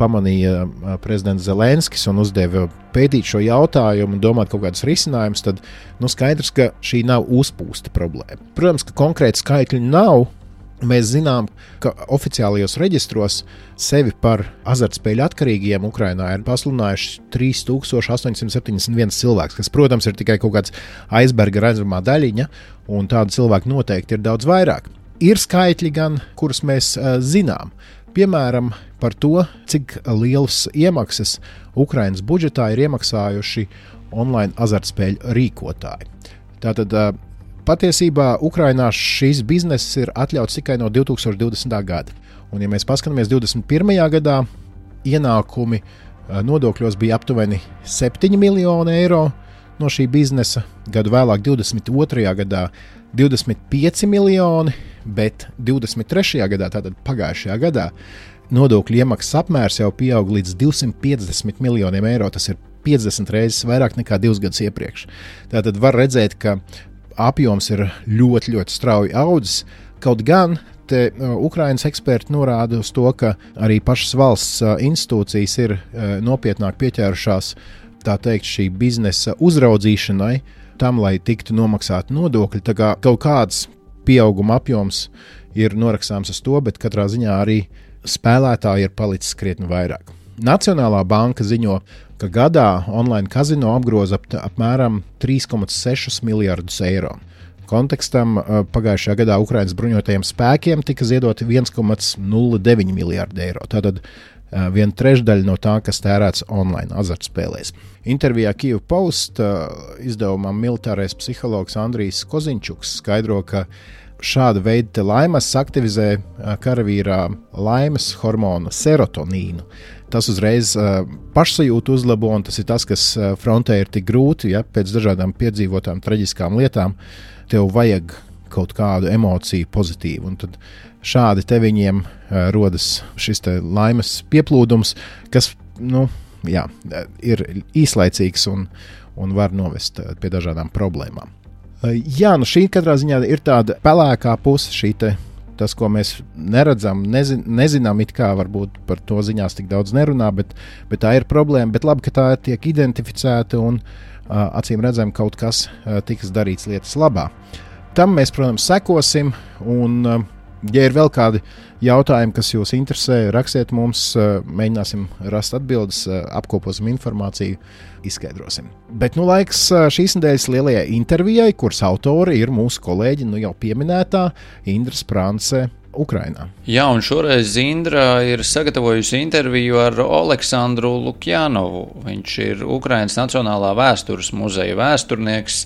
pamanīja prezidents Zelenskis un uzdeva pētīt šo jautājumu un domāt kaut kādus risinājumus, tad skaidrs, ka šī nav uzpūsta problēma. Protams, ka konkrēti skaitļi nav. Mēs zinām, ka oficiālajos reģistros sevi par azartspēļu atkarīgiem Ukrainā ir pasludinājuši 3871 cilvēks, kas, protams, ir tikai kaut kāds aizberga redzamā daļiņa, un tādu cilvēku noteikti ir daudz vairāk. Ir skaitļi gan, kurus mēs zinām. Piemēram, par to, cik lielas iemaksas Ukrainas budžetā ir iemaksājuši online azartspēļu rīkotāji. Tātad patiesībā Ukrainā šīs bizness ir atļauts tikai no 2020. gada. Un, ja mēs paskatāmies 21. gadā, ienākumi nodokļos bija aptuveni 7 miljoni eiro no šī biznesa, gadu vēlāk 22. gadā 25 miljoni, bet 23. gadā, tātad pagājušajā gadā, nodokļu iemaksas apmērs jau pieaug līdz 250 miljoniem eiro. Tas ir 50 reizes vairāk nekā 2 gadus iepriekš. Tātad var redzēt, ka apjoms ir ļoti, ļoti strauji audzis. Kaut gan te Ukrainas eksperti norāda uz to, ka arī pašas valsts institūcijas ir nopietnāk pieķērušās, tā teikt, šī biznesa uzraudzīšanai, tam, lai tiktu nomaksāti nodokļi. Tā kā kaut kāds pieauguma apjoms ir norakstāms uz to, bet katrā ziņā arī spēlētāji ir palicis krietni vairāk. Nacionālā banka ziņo, ka gadā online kazino apgroza apmēram 3,6 miljardus eiro. Kontekstam pagājušajā gadā Ukrainas bruņotajiem spēkiem tika ziedoti 1,09 miljardi eiro. Tātad 1/3 no tā, kas tērēts online azartspēlēs. Intervijā Kyiv Post izdevumam militārais psihologs Andrijs Koziņčuks skaidro, ka šāda veida laimes aktivizē karavīrā laimes hormonu serotonīnu. Tas uzreiz pašsajūtu uzlabo, un tas ir tas, kas frontē ir tik grūti, ja pēc dažādām piedzīvotām traģiskām lietām tev vajag kaut kādu emociju pozitīvu. Un tad šādi te viņiem rodas šis te laimes pieplūdums, kas ir īslaicīgs un var novest pie dažādām problēmām. Jā, šī katrā ziņā ir tāda pelēkā puse, tas, ko mēs neredzam, nezinām, it kā varbūt par to ziņās tik daudz nerunā, bet tā ir problēma. Bet labi, ka tā tiek identificēta un acīm redzam, kaut kas tiks darīts lietas labā. Tam mēs, protams, sekosim, un ja ir vēl kādi jautājumi, kas jūs interesē, rakstiet mums, mēģināsim rast atbildes, apkoposim informāciju, izskaidrosim. Bet laiks šīs nedēļas lielajai intervijai, kuras autori ir mūsu kolēģi, jau pieminētā Indra Sprance Ukrainā. Jā, un šoreiz Indra ir sagatavojusi interviju ar Oleksandru Lukjanovu. Viņš ir Ukrainas Nacionālā vēstures muzeja vēsturnieks,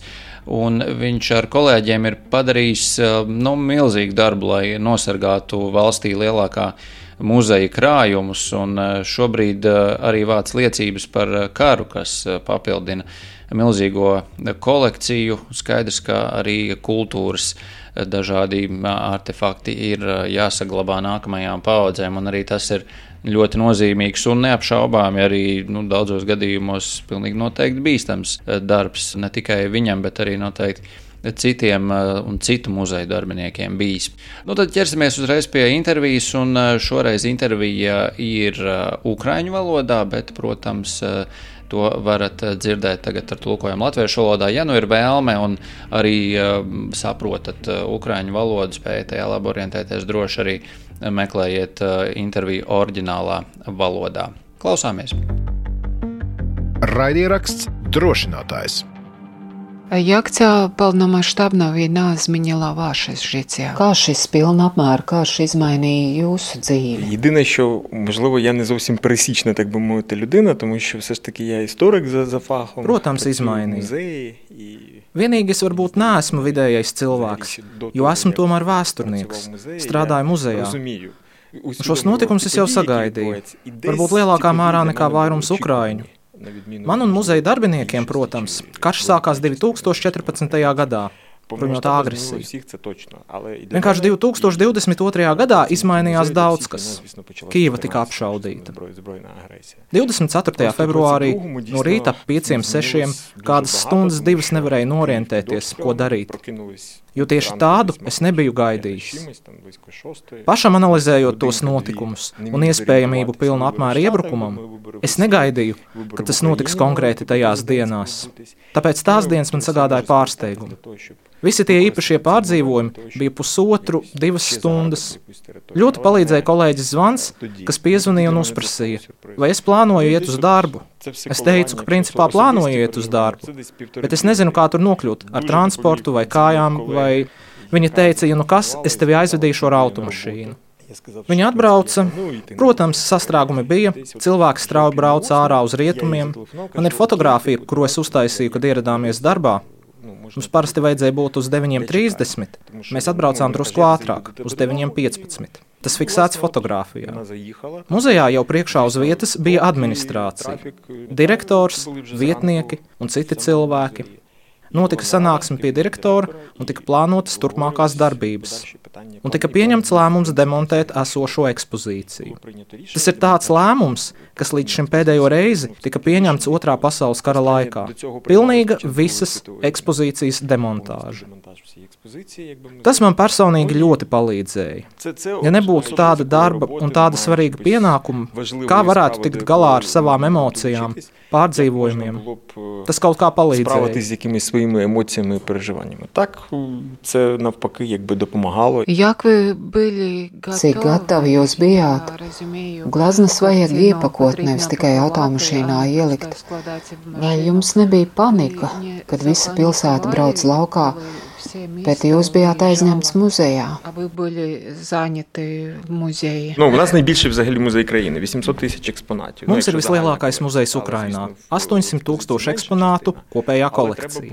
un viņš ar kolēģiem ir padarījis milzīgu darbu, lai nosargātu valstī lielākā muzeja krājumus, un šobrīd arī vāc liecības par karu, kas papildina milzīgo kolekciju. Skaidrs, ka arī kultūras dažādi artefakti ir jāsaglabā nākamajām paaudzēm, un arī tas ir ļoti nozīmīgs un neapšaubāmi arī daudzos gadījumos pilnīgi noteikti bīstams darbs, ne tikai viņam, bet arī noteikti citiem un citu muzeju darbiniekiem bijis. Nu, tad ķersimies uzreiz pie intervijas, un šoreiz intervija ir ukraiņu valodā, bet, protams, to varat dzirdēt tagad ar tulkojumu latviešu valodā. Ja nu ir vēlme un arī saprotat ukraiņu valodu, spējat tajā labi orientēties, droši arī meklējiet interviju oriģinālā valodā. Klausāmies! Raidieraksts Drošinātājs. Як ця повномасштабна війна змінила ваше життя? Каші pilna apmēra karš izmainīja jūsu dzīvi? Єдине, що, можливо, я не зовсім пересічна, так би мовити, людина, тому що все ж таки я історик за фахом. Protams, izmainīja. Vienīgi es varbūt neesmu vidējais cilvēks, jo esmu tomēr vēsturnieks, strādāju muzejā. Šos notikumus es jau sagaidīju, varbūt lielākā mērā nekā vairums ukraiņu. Man un muzeja darbiniekiem, protams, karš sākās 2014. gadā, bruņotā agresija. Vienkārši 2022. gadā izmainījās daudz kas. Kijeva tika apšaudīta. 24. februārī no rīta ap 5-6 kādas stundas divas nevarēja norientēties, ko darīt. Jo tieši tādu es nebiju gaidījis. Pašam analizējot tos notikumus un iespējamību pilnu apmēru iebrukumam, es negaidīju, ka tas notiks konkrēti tajās dienās. Tāpēc tās dienas man sagādāja pārsteigumu. Visi tie īpašie pārdzīvojumi bija 1,5–2 stundas. Ļoti palīdzēja kolēģis zvans, kas piezvanīja un uzprasīja, vai es plānoju iet uz darbu. Es teicu, ka principā plānoju iet uz darbu, bet es nezinu, kā tur nokļūt, ar transportu vai kājām, vai viņa teica, ja nu kas, es tevi aizvedīšu ar automašīnu. Viņa atbrauca, protams, sastrēgumi bija, cilvēki strauji brauca ārā uz rietumiem. Man ir fotogrāfija, kuru es uztaisīju, kad ieradāmies darbā. Mums parasti vajadzēja būt uz 9:30. Mēs atbraucām drusku ātrāk, uz 9:15. Tas fiksēts fotogrāfijā. Muzejā jau priekšā uz vietas bija administrācija, direktors, vietnieki un citi cilvēki. Notika sanāksme pie direktora un tika plānotas turpmākās darbības. Un tika pieņemts lēmums demontēt esošo ekspozīciju. Tas ir tāds lēmums, kas līdz šim pēdējo reizi tika pieņemts Otrā pasaules kara laikā. Pilnīga visas ekspozīcijas demontāža. Tas man personīgi ļoti palīdzēja. Ja nebūtu tāda darba un tāda svarīga pienākuma, kā varētu tikt galā ar savām emocijām, pārdzīvojumiem, tas kaut kā palīdzēja. Емоціями і переживаннями. Так, це навпаки якби допомагало. Як ви були Cik gatavi jūs bijāt? Glaznas vajag iepakot, nevis tikai automašīnā ielikt. Vai jums nebija panika, kad visa pilsēta brauc laukā, bet jūs bijāt aizņemts muzejā? У нас найбільший взагалі музей країни, 800 тисяч експонатів. Mums ir vislielākais muzejs Ukrainā – 800 000 eksponātu kopējā kolekcija.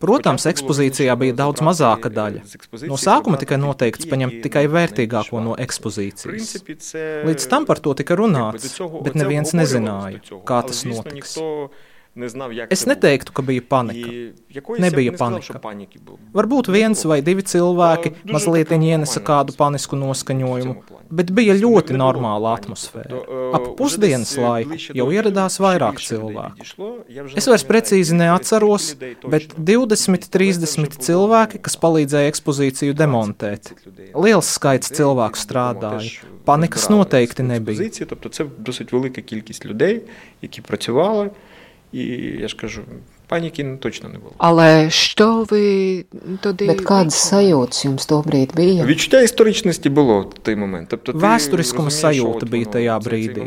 Protams, ekspozīcijā bija daudz mazāka daļa. No sākuma tika noteikts paņemt tikai vērtīgāko no ekspozīcijas. Līdz tam par to tika runāts, bet neviens nezināja, kā tas notiks. Es neteiktu, ka bija panika. Nebija panika. Varbūt 1 vai 2 cilvēki mazliet ienesa kādu panisku noskaņojumu, bet bija ļoti normāla atmosfēra. Ap pusdienas laiku jau ieradās vairāk cilvēku. Es vairs precīzi neatceros, bet 20–30 cilvēki, kas palīdzēja ekspozīciju demontēt. Liels skaits cilvēku strādāja. Panikas noteikti nebija. Це досить велика кількість людей, які працювали. І я ж кажу, паніки точно не було. Але що ви тоді... Bet kādas sajūtas jums tobrīd bija? Відчуття історичності було в той момент. Vēsturiskuma sajūta bija tajā brīdī.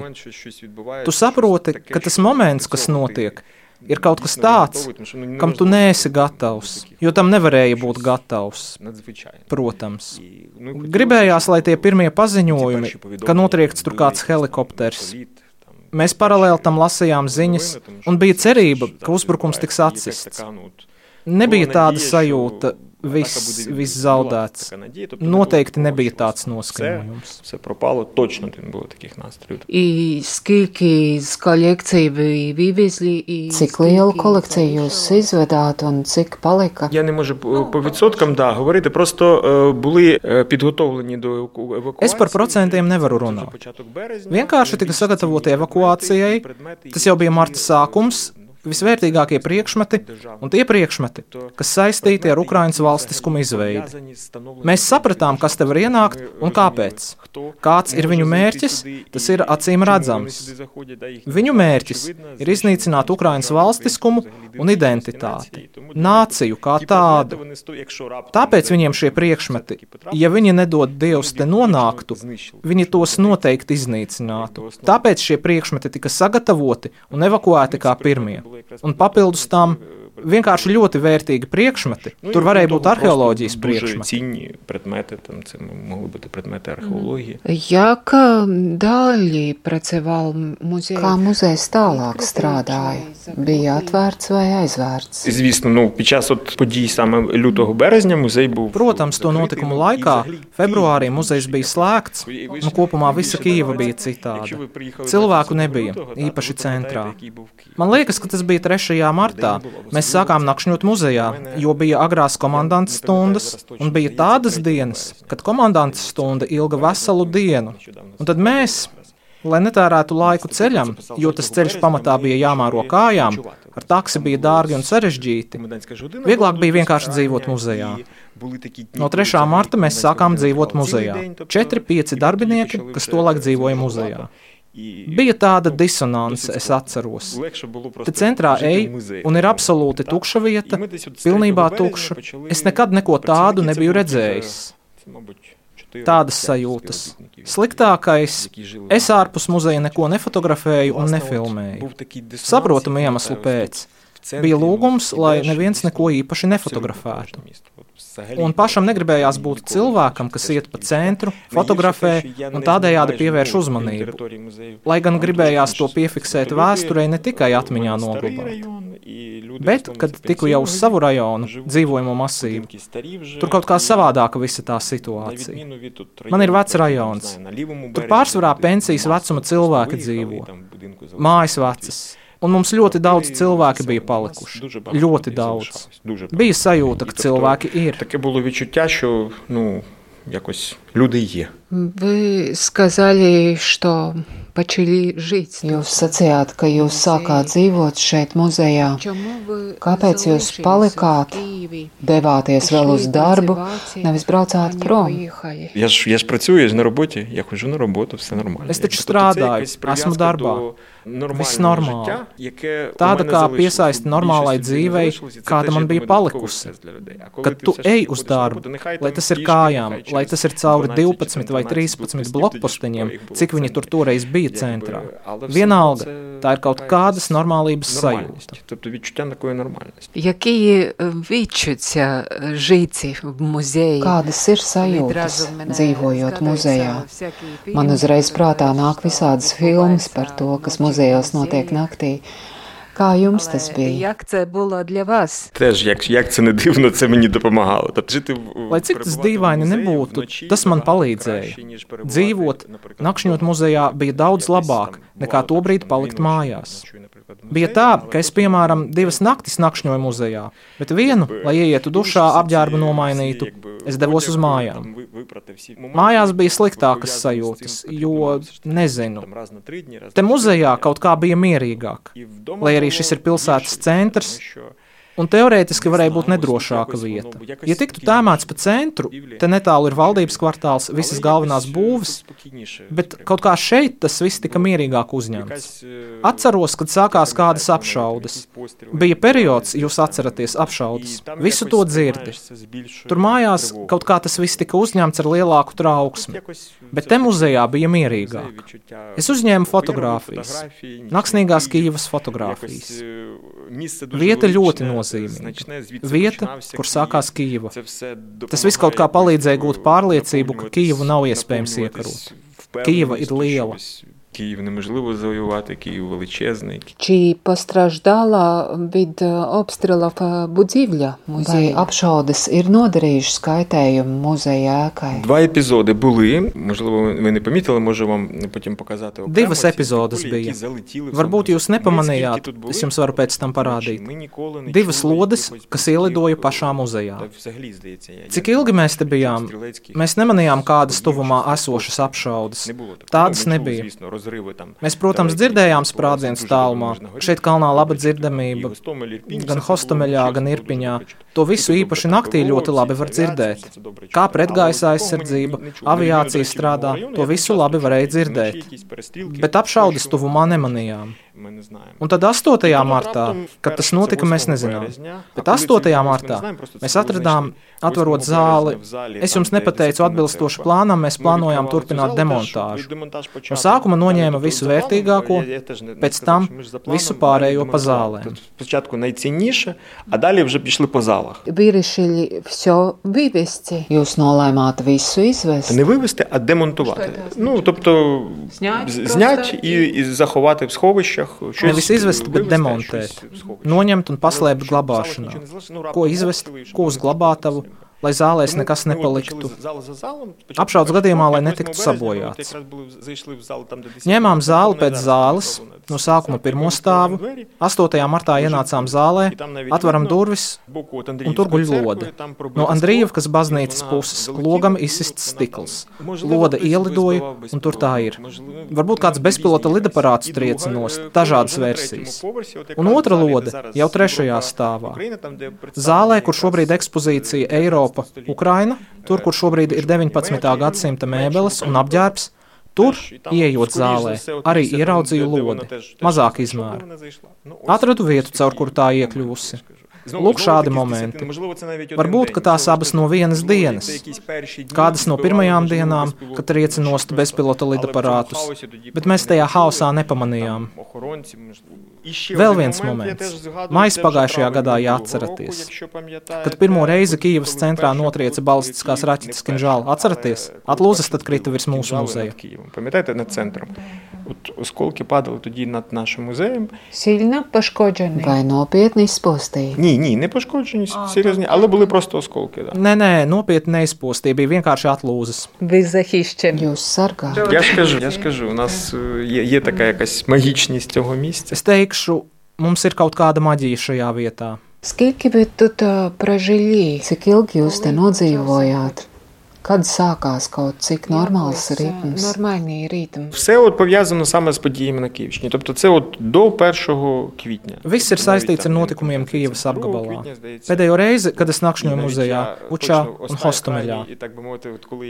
Tu saproti, ka tas moments, kas notiek, ir kaut kas tāds, kam tu neesi gatavs, jo tam nevarēja būt gatavs. Protams. Gribējās, lai tie pirmie paziņojumi, ka notriekts tur kāds helikopters. Mēs paralēli tam lasījām ziņas, un bija cerība, ka uzbrukums tiks atsists. Nebija tāda sajūta, viss zaudēts. Noteikti nebija tāds noskaņojums. Все пропало, точно не було таких настроїв. І скільки з колекції ви вивезли? Cik lielu kolekciju jūs izvedāt un cik palika? Я не можу по відсоткам говорити, просто були підготовлені до евакуації. Es par procentiem nevaru runāt. Vienkārši tika sagatavoti evakuācijai, tas jau bija marta sākums, visvērtīgākie priekšmeti un tie priekšmeti, kas saistīti ar Ukrainas valstiskumu izveidi. Mēs sapratām, kas te var ienākt un kāpēc. Kāds ir viņu mērķis, tas ir acīm redzams. Viņu mērķis ir iznīcināt Ukrainas valstiskumu un identitāti, nāciju kā tādu. Tāpēc viņiem šie priekšmeti, ja viņi nedod Dievs te nonāktu, viņi tos noteikti iznīcinātu. Tāpēc šie priekšmeti tika sagatavoti un evakuēti kā pirmie. Un papildus tam vienkārši ļoti vērtīgi priekšmeti. Tur varēja būt arheoloģijas priekšmeti. Це могли бути предмети археології. Як далі працював музей? Kā muzejs tālāk strādāja? Bija atvērts vai aizvērts? Звісно, під час подій саме лютого-березня музей був... Protams, to notikumu laikā, februārī muzejs bija slēgts, un kopumā visa Kijeva bija citāda. Cilvēku nebija, īpaši centrā. Man liekas, ka tas bija 3. martā. Mēs sākām nakšņot muzejā, jo bija agrās komandantas stundas, un bija tādas dienas, kad komandantas stunda ilga veselu dienu. Un tad mēs, lai netērētu laiku ceļam, jo tas ceļš pamatā bija jāmāro kājām, ar taksi bija dārgi un sarežģīti, vieglāk bija vienkārši dzīvot muzejā. No 3. marta mēs sākām dzīvot muzejā. 4-5 darbinieki, kas tolaik dzīvoja muzejā. Bija tāda disonance, es atceros. Te centrā ej, un ir absolūti tukša vieta, pilnībā tukša. Es nekad neko tādu nebiju redzējis. Tādas sajūtas. Sliktākais, es ārpus muzeja neko nefotografēju un nefilmēju. Saprotamu iemeslu pēc. Bija lūgums, lai neviens neko īpaši nefotografētu. Un pašam negribējās būt cilvēkam, kas iet pa centru, fotografē un tādējādi pievērš uzmanību. Lai gan gribējās to piefiksēt vēsturē, ne tikai atmiņā noglabāt. Bet, kad tiku jau uz savu rajonu, dzīvojamo masīvu, tur kaut kā savādāka visa tā situācija. Man ir vecs rajons. Tur pārsvarā pensijas vecuma cilvēki dzīvo. Mājas vecas. Un mums ļoti daudz cilvēki bija palikuši. Ļoti daudz. Bija sajūta, ka cilvēki ir. Таке було відчуття, що, якось люди є. Вы сказали, что почали жить. Jūs sacījāt, ka jūs sākāt dzīvot šeit muzejā. Kāpēc jūs palikāt, devāties vēl uz darbu, nevis braucāt prom? Я ж працюю, я ж на роботі, я ходжу на роботу, все нормально. Es taču strādāju, esmu darbā. Viss normāli. Tāda kā piesaista normālai dzīvei, kāda man bija palikusi. Kad tu ej uz darbu, lai tas ir kājām, lai tas ir cauri 12 vai 13 blokposteņiem, cik viņi tur toreiz bija centrā. Vienalga, tā ir kaut kādas normālības sajūta. Які відчуття жити в музеї? Kādas ir sajūtas, dzīvojot muzejā? Man uzreiz prātā nāk visādas filmas par to, kas muzejos notiek naktī. Kā jums tas bija? Як це було для вас? Теж, як це не дивно, це мені допомагало. Lai cik tas dīvaini nebūtu, tas man palīdzēja. Dzīvot, nakšņot muzejā bija daudz labāk, nekā tobrīd palikt mājās. Bija tā, ka es, piemēram, 2 naktis nakšņoju muzejā, bet vienu, lai ieietu dušā, apģērbu nomainītu, es devos uz mājām. Mājās bija sliktākas sajūtas, jo, nezinu, te muzejā kaut kā bija mierīgāk, lai arī šis ir pilsētas centrs, un teorētiski varēja būt nedrošāka vieta. Ja tiktu tēmēts pa centru, te netālu ir valdības kvartāls, visas galvenās būves, bet kaut kā šeit tas viss tika mierīgāk uzņemts. Atceros, kad sākās kādas apšaudes. Bija periods, jūs atceraties, apšaudes. Visu to dzirdi. Tur mājās kaut kā tas viss tika uzņemts ar lielāku trauksmi, bet te muzejā bija mierīgāk. Es uzņēmu fotogrāfijas, naksnīgās Kijevas fotogrāfijas. Vieta ļoti nozīmīga. Vieta, kur sākās Kijeva. Tas viss kaut kā palīdzēja gūt pārliecību, ka Kijevu nav iespējams iekarot. Kijeva ir liela. Київ неможливо завоювати, Київ величезний. Чи постраждала від обстрілів будівля музею? Vai apšaudes ir nodarījušas kaitējumu muzeja ēkai? 2 епізоди були, можливо, ви не помітили, можу вам потім показати окремо. 2 epizodes bija. Varbūt jūs nepamanījāt, es jums varu pēc tam parādīt. 2 lodes, kas ielidoja pašā muzejā. Cik ilgi mēs te bijām? Mēs nemanījām kādas tuvumā esošas apšaudes. Tādas nebija. Mēs, protams, dzirdējām sprādzienus tālumā. Šeit kalnā laba dzirdamība, gan Hostomeļā, gan Irpiņā. To visu īpaši naktī ļoti labi var dzirdēt. Kā pretgaisa aizsardzība, aviācija strādā, to visu labi varēja dzirdēt. Bet apšaudes tuvumā nemanījām. Un tad 8. martā, kad tas notika, mēs nezinām. Bet 8. martā mēs atradām, atverot zāli. Es jums nepateicu atbilstoši plānam, mēs plānojām turpināt demontāžu. No sākuma noņēma visu vērtīgāko, pēc tam visu pārējo pa zālēm. Спочатку найцінніше, а далі вже пішли по залах. Вирішили все вивезти. Jūs nolēmāt visu izvest? Не вивезти, а демонтувати. Ну, тобто, зняти і заховати в сховищах. Nevis izvest, bet demontēt. Noņemt un paslēpt glabāšanā. Ko izvest, ko uz glabātavu, lai zālēs nekas nepaliktu. Apšaudes gadījumā, lai netiktu sabojāts. Ņēmām zāli pēc zāles, no sākuma pirmo stāvu, 8. martā ienācām zālē, atveram durvis, un tur guļ lode. No Andrijevkas baznīcas puses logam izsists stikls. Lode ielidoja, un tur tā ir. Varbūt kāds bezpilota lidaparāts triecinos, dažādas versijas. Un otra lode jau 3. stāvā. Zālē, kur šobrīd ekspozīcija Eiropa, Ukraina, tur, kur šobrīd ir 19. gadsimta mēbeles un apģērbs, tur, ieejot zālē, arī ieraudzīju lodi, mazāk izmēru. Atradu vietu, caur kuru tā iekļuvusi. Lūk, šādi momenti. Varbūt, ka tās abas no vienas dienas. Kādas no pirmajām dienām, kad trieci nost bezpilota lidaparātus, bet mēs tajā haosā nepamanījām. Vēl viens moments. Maijs pagājušajā gadā jāatceraties. Kad pirmo reizi Kijevas centrā notrieca balistiskās raķetes Kinžāli, atceraties? Atlūzas tad krita virs mūsu muzeja. Пам'ятаєте, над центром? От осколки падали тоді над нашим музеєм. Сильно пошкоджені? Vai nopietni izpostīja? Ні, не пошкоджені, серйозні, але були просто осколки. Да. Nē, nopietni neizpostīja, bija vienkārši atlūzas. Ви захищені? Jūs sargā? Я ж кажу, у нас є така якась магічність цього місця. Es teikšu, mums ir kaut kāda maģija šajā vietā. Скільки ви тут прожили? Cik ilgi jūs te nodzīvojāt? Kad sākās kaut cik нормальний ритм? Нормальний ритм. Все от пов'язано саме з подіями на Київщині. Тобто це от до 1 квітня. Viss ir saistīts ar notikumiem Kijevas apgabalā. Pēdējo reizi, kad es nakšņoju muzejā, Bučā un Hostomeļā.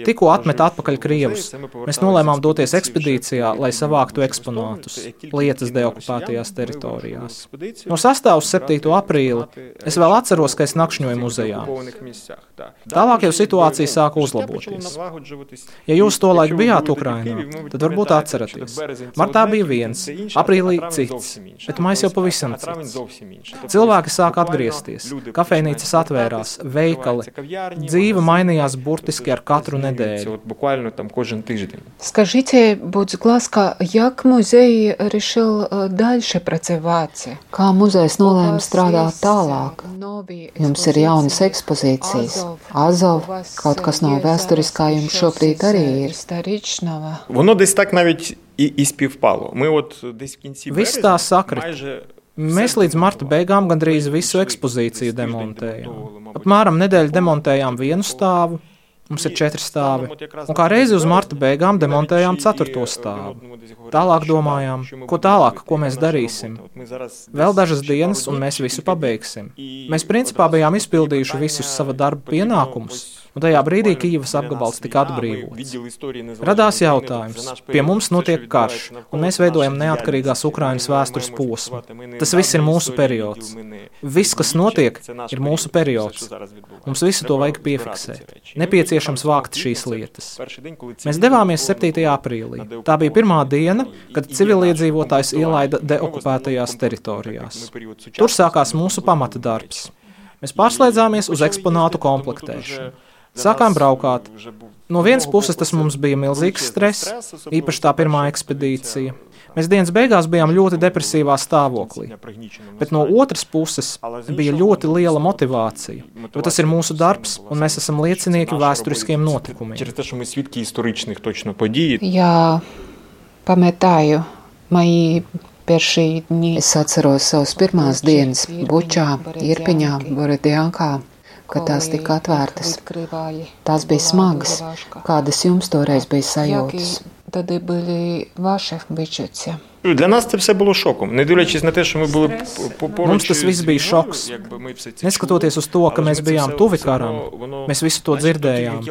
Tikko atmet atpakaļ Krievus, mēs nolēmām doties ekspedīcijā, lai savāktu eksponātus, lietas deokupētajās teritorijās. No 6. uz 7. aprīli es vēl atceros, ka es nakšņoju muzejā. Tālāk jau situācija sāka uzlaboties. Ja jūs tolaik bijāt Ukrainā, tad varbūt atceraties. Martā bija viens, aprīlī cits, bet maijs jau pavisam cits. Cilvēki sāk atgriezties, kafejnīcas atvērās, veikali, dzīve mainījās burtiski ar katru nedēļu. Скажите, будь ласка, як музей решил дальше працювати? Kā muzejs nolēma strādāt tālāk? Jums ir jaunas ekspozīcijas. Azov, kaut kas no vēsturiskā jums šobrīd arī ir. Воно десь так навіть і співпало. Ми от десь в кінці Viss tā sakrita. Mēs līdz marta beigām gandrīz visu ekspozīciju demontējām. Apmēram nedēļu demontējām vienu stāvu. Mums ir 4 stāvi. Un kā reizi uz marta beigām demontējām 4. stāvu. Tālāk domājām, ko tālāk, ko mēs darīsim. Vēl dažas dienas, un mēs visu pabeigsim. Mēs principā bijām izpildījuši visus sava darba pienākumus, un tajā brīdī Kijevas apgabals tika atbrīvots. Radās jautājums, pie mums notiek karš, un mēs veidojam neatkarīgās Ukrainas vēstures posmu. Tas viss ir mūsu periods. Viss, kas notiek, ir mūsu periods. Mums visu to vajag piefiksēt. Nepieciešams vākt šīs lietas. Mēs devāmies 7. aprīlī. Tā bija pirmā diena, kad civiliedzīvotājs ielaida deokupētajās teritorijās. Tur sākās mūsu pamata darbs. Mēs pārslēdzāmies uz eksponātu komplektēšanu. Sākām braukāt. No vienas puses tas mums bija milzīgs stress, īpaši tā pirmā ekspedīcija. Mēs dienas beigās bijām ļoti depresīvā stāvoklī. Bet no otras puses bija ļoti liela motivācija, jo tas ir mūsu darbs, un mēs esam liecinieki vēsturiskiem notikumiem. Jā, pametāju maijī pirmie dni. Es atceros savas pirmās dienas Bučā, Irpiņā, Borodjankā, kad tās tika atvērtas. Tās bija smagas. Kādas jums toreiz bija sajūtas? тоді були ваші відчуття? Для нас це все було шоком. Не дивлячись на те, що ми були поруч. Mums tas viss bija šoks. Neskatoties uz to, ka mēs bijām tuvi karam, mēs visu to dzirdējām.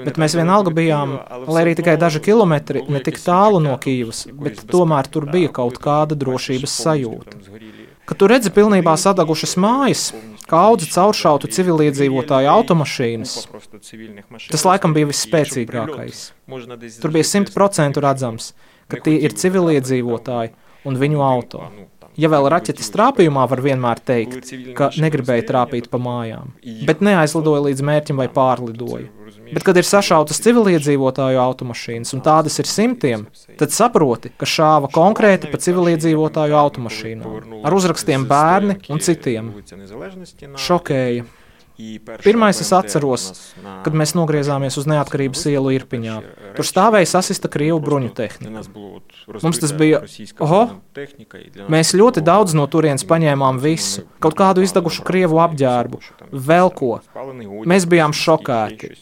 Bet mēs vienalga bijām, lai arī tikai daži kilometri, ne tik tālu no Kijivas, bet tomēr tur bija kaut kāda drošības sajūta. Kad tu redzi pilnībā sadagušas mājas, kaudzi cauršautu civiliedzīvotāju automašīnas, tas laikam bija visspēcīgākais. Tur bija 100% redzams, ka tie ir civiliedzīvotāji un viņu auto. Ja vēl raķetes trāpījumā var vienmēr teikt, ka negribēja trāpīt pa mājām, bet neaizlidoja līdz mērķim vai pārlidoja. Bet, kad ir sašautas civiliedzīvotāju automašīnas, un tādas ir simtiem, tad saproti, ka šāva konkrēti pa civiliedzīvotāju automašīnām, ar uzrakstiem bērni un citiem. Šokēja. Pirmais es atceros, kad mēs nogriezāmies uz Neatkarības ielu Irpiņā. Tur stāvēja sasista krievu bruņu tehnika. Mums tas bija, mēs ļoti daudz no turienes paņēmām visu, kaut kādu izdegušu krievu apģērbu, vēl ko. Mēs bijām šokēti.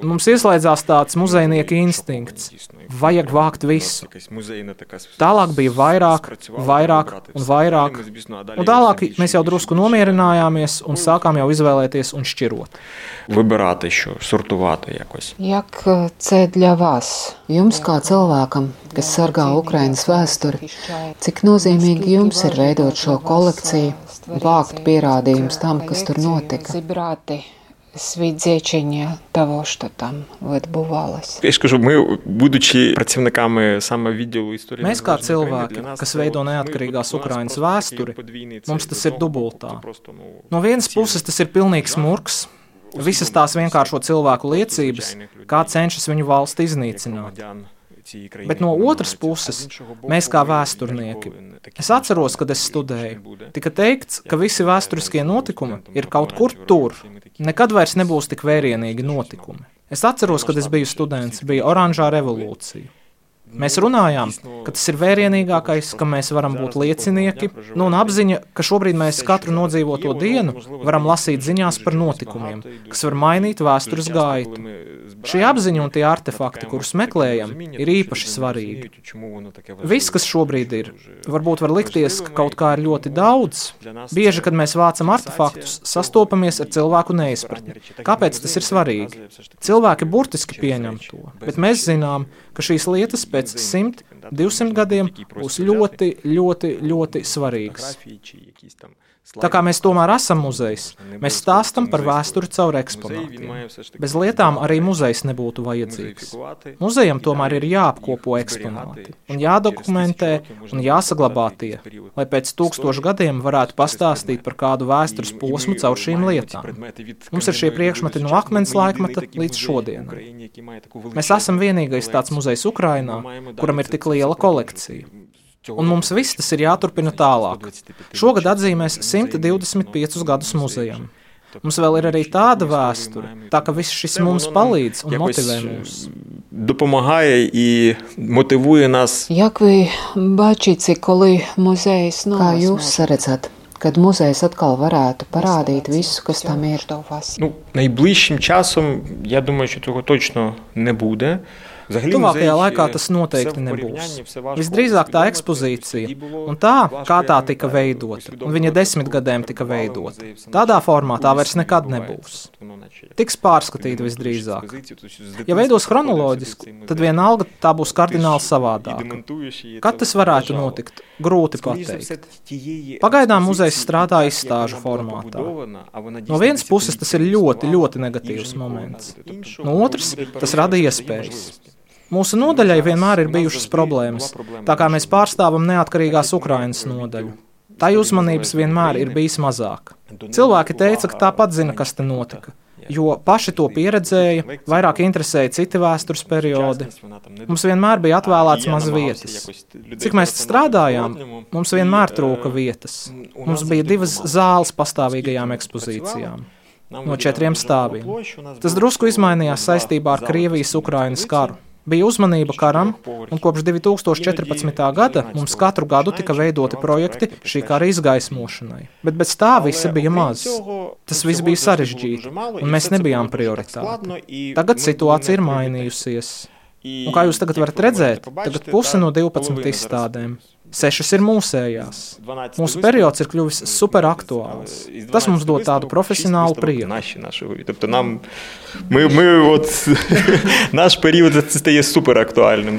Mums ieslēdzās tāds muzejnieka instinkts. Vajag vākt visu. Tālāk bija vairāk un vairāk. Un tālāk mēs jau drusku nomierinājāmies un sākām jau izvēlēties un šķirot. Вибирати що, сортувати якось. Як це для вас? Jums kā cilvēkam, kas sargā Ukrainas vēsturi, cik nozīmīgi jums ir veidot šo kolekciju, vākt pierādījumus tam, kas tur notika? Свідчення того, що там відбувалося. Я ж кажу, ми, будучи працівниками саме відділу історії... Mēs kā cilvēki, kas veido neatkarīgās Ukrainas vēsturi, mums tas ir dubultā. No vienas puses tas ir pilnīgs murks, visas tās vienkāršo cilvēku liecības, kā cenšas viņu valsti iznīcināt. Bet no otras puses, mēs kā vēsturnieki, es atceros, kad es studēju, tika teikts, ka visi vēsturiskie notikumi ir kaut kur tur, nekad vairs nebūs tik vērienīgi notikumi. Es atceros, kad es biju students, bija oranžā revolūcija. Mēs runājām, ka tas ir vērienīgākais, ka mēs varam būt liecinieki, un apziņa, ka šobrīd mēs katru nodzīvoto dienu varam lasīt ziņās par notikumiem, kas var mainīt vēstures gaitu. Šī apziņa un tie artefakti, kurus meklējam, ir īpaši svarīgi. Viss, kas šobrīd ir, varbūt var likties, ka kaut kā ir ļoti daudz. Bieži, kad mēs vācam artefaktus, sastopamies ar cilvēku neizpratni. Kāpēc tas ir svarīgi? Cilvēki burtiski pieņem to, bet mēs zinām, ka šīs lietas pēc 100, 200 gadiem būs ļoti, ļoti, ļoti svarīgas. Tā kā mēs tomēr esam muzejs, mēs stāstam par vēsturi caur eksponātiem. Bez lietām arī muzejs nebūtu vajadzīgs. Muzejam tomēr ir jāapkopo eksponāti, un jādokumentē un jāsaglabā tie, lai pēc 1000 gadiem varētu pastāstīt par kādu vēstures posmu caur šīm lietām. Mums ir šie priekšmeti no akmens laikmeta līdz šodienai. Mēs esam vienīgais tāds muzejs Ukrainā, kuram ir tik liela kolekcija. Un mums viss tas ir jāturpina tālāk. Šogad atzīmēs 125 gadus muzejam. Mums vēl ir arī tāda vēsture, tā ka viss šis mums palīdz un motivē mūs. Допомагає і мотивує нас. Як ви бачите, коли музей знову? Kā jūs redzat, kad muzejs atkal varētu parādīt visu, kas tam ir? Найближчим часом, я думаю, що цього точно не буде. Tuvākajā laikā tas noteikti nebūs. Visdrīzāk tā ekspozīcija un tā, kā tā tika veidota, un viņa 10 gadiem tika veidota. Tādā formā tā vairs nekad nebūs. Tiks pārskatīta visdrīzāk. Ja veidos chronoloģiski, tad vienalga tā būs kardināli savādāka. Kad tas varētu notikt, grūti pateikt. Pagaidām muzejs strādā izstāžu formātā. No vienas puses tas ir ļoti, ļoti negatīvs moments. No otras, tas rada iespējas. Mūsu nodaļai vienmēr ir bijušas problēmas, tā kā mēs pārstāvam neatkarīgās Ukrainas nodaļu. Tā uzmanības vienmēr ir bijis mazāk. Cilvēki teica, ka tāpat zina, kas te notika, jo paši to pieredzēja, vairāk interesēja citi vēstures periodi. Mums vienmēr bija atvēlēts maz vietas. Cik mēs strādājām, mums vienmēr trūka vietas. Mums bija 2 zāles pastāvīgajām ekspozīcijām. No 4 stāviem. Tas drusku izmainījās saistībā ar Krievijas-Ukrainas karu. Bija uzmanība karam, un kopš 2014. gada mums katru gadu tika veidoti projekti šī kara izgaismošanai. Bet bez tā visa bija maz. Tas viss bija sarežģīti, un mēs nebijām prioritāti. Tagad situācija ir mainījusies. Un kā jūs tagad varat redzēt, tagad puse no 12 izstādēm. 6 ir mūsējās. Mūsu periods ir kļuvis superaktuāls. Tas mums dod tādu profесіоналу прийом. Тобто наш період стає суперактуальним.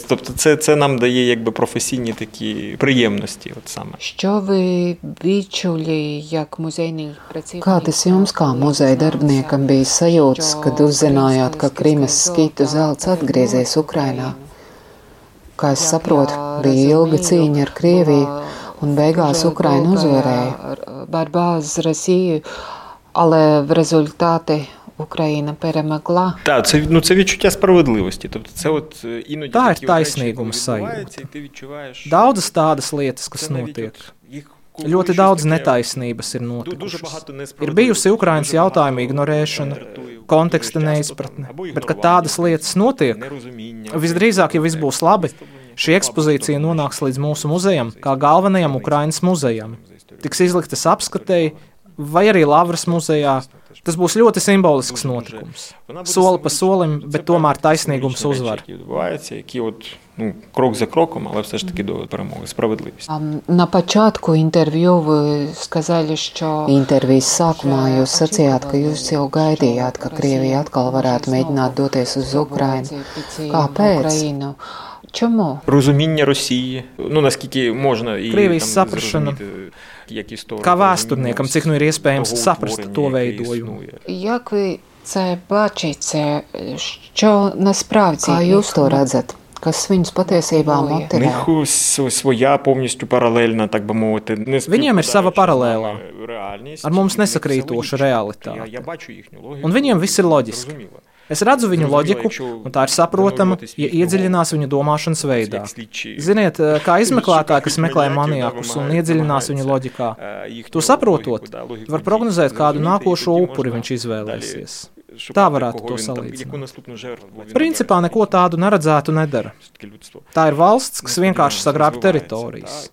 Тобто це нам дає якби професійні такі приємності. Що ви відчули як muzejний працівник? Kādas jums kā muzeja darbiniekam bija sajūtas, kad uzzinājāt, ka Krimas skitu zelts atgriezies Ukrainā? Kā es saprotu, bija ilga cīņa ar Krieviju, un beigās Ukraina uzvarēja. Борьба з Росією, але в результаті Україна перемогла. Так, це відчуття справедливості. Тобто це іноді tā ir taisnīguma sajūta. Daudzas tādas lietas, kas notiek. Ļoti daudz netaisnības ir notikušas. Ir bijusi Ukrainas jautājuma ignorēšana, konteksta neizpratne, bet, kad tādas lietas notiek, visdrīzāk, ja viss būs labi, šī ekspozīcija nonāks līdz mūsu muzejam, kā galvenajam Ukrainas muzejam. Tiks izliktas apskatēji, vai arī Lavras muzejā. Tas būs ļoti simbolisks notikums. Soli pa solim, bet tomēr taisnīgums uzvar. Крок за кроком, але все ж таки до перемоги, справедливість. На початку интервью вы сказали, что... Intervijas sākumā jūs sacījāt, ka jūs jau gaidījāt, ka Krievija atkal varētu mēģināt doties uz Ukrainu. Kāpēc? Чому? Розуміння Росії, наскільки можна і Krievijas saprašana, kā vēsturniekam, cik ir iespējams saprast to veidojumu. Як ви це бачите, що насправді? Kā jūs to redzat? Kas viņus patiesībā motivē? У них своя повністю паралельна, так би мовити. Viņiem ir sava paralēlā, ar mums nesakrītoša realitāte. Un viņiem viss ir loģiski. Es redzu viņu loģiku, un tā ir saprotama, ja iedziļinās viņu domāšanas veidā. Ziniet, kā izmeklētāji, kas meklē maniakus un iedziļinās viņu loģikā, to saprotot, var prognozēt, kādu nākošo upuri viņš izvēlēsies. Tā varētu to salīdzināt. Principā neko tādu neredzētu nedara. Tā ir valsts, kas vienkārši sagrāb teritorijas.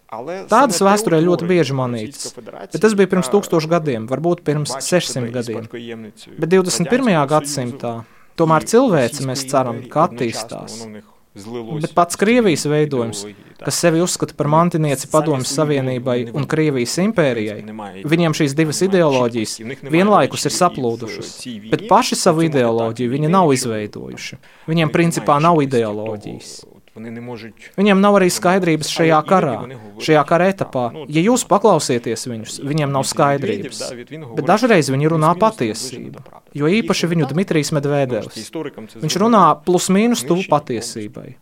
Tādas vēsturē ļoti bieži manītas, bet tas bija pirms 1000 gadiem, varbūt pirms 600 gadiem. Bet 21. gadsimtā tomēr cilvēce, mēs ceram, ka attīstās. Bet pats Krievijas veidojums, kas sevi uzskata par mantinieci Padomju Savienībai un Krievijas impērijai, viņiem šīs divas ideoloģijas vienlaikus ir saplūdušas, bet paši savu ideoloģiju viņi nav izveidojuši. Viņiem principā nav ideoloģijas. Viņiem nav arī skaidrības šajā karā, šajā kara etapā. Ja jūs paklausieties viņus, viņiem nav skaidrības. Bet dažreiz viņi runā patiesību, jo īpaši viņu Dmitrijs Medvedevs. Viņš runā plus mīnus tuvu patiesībai.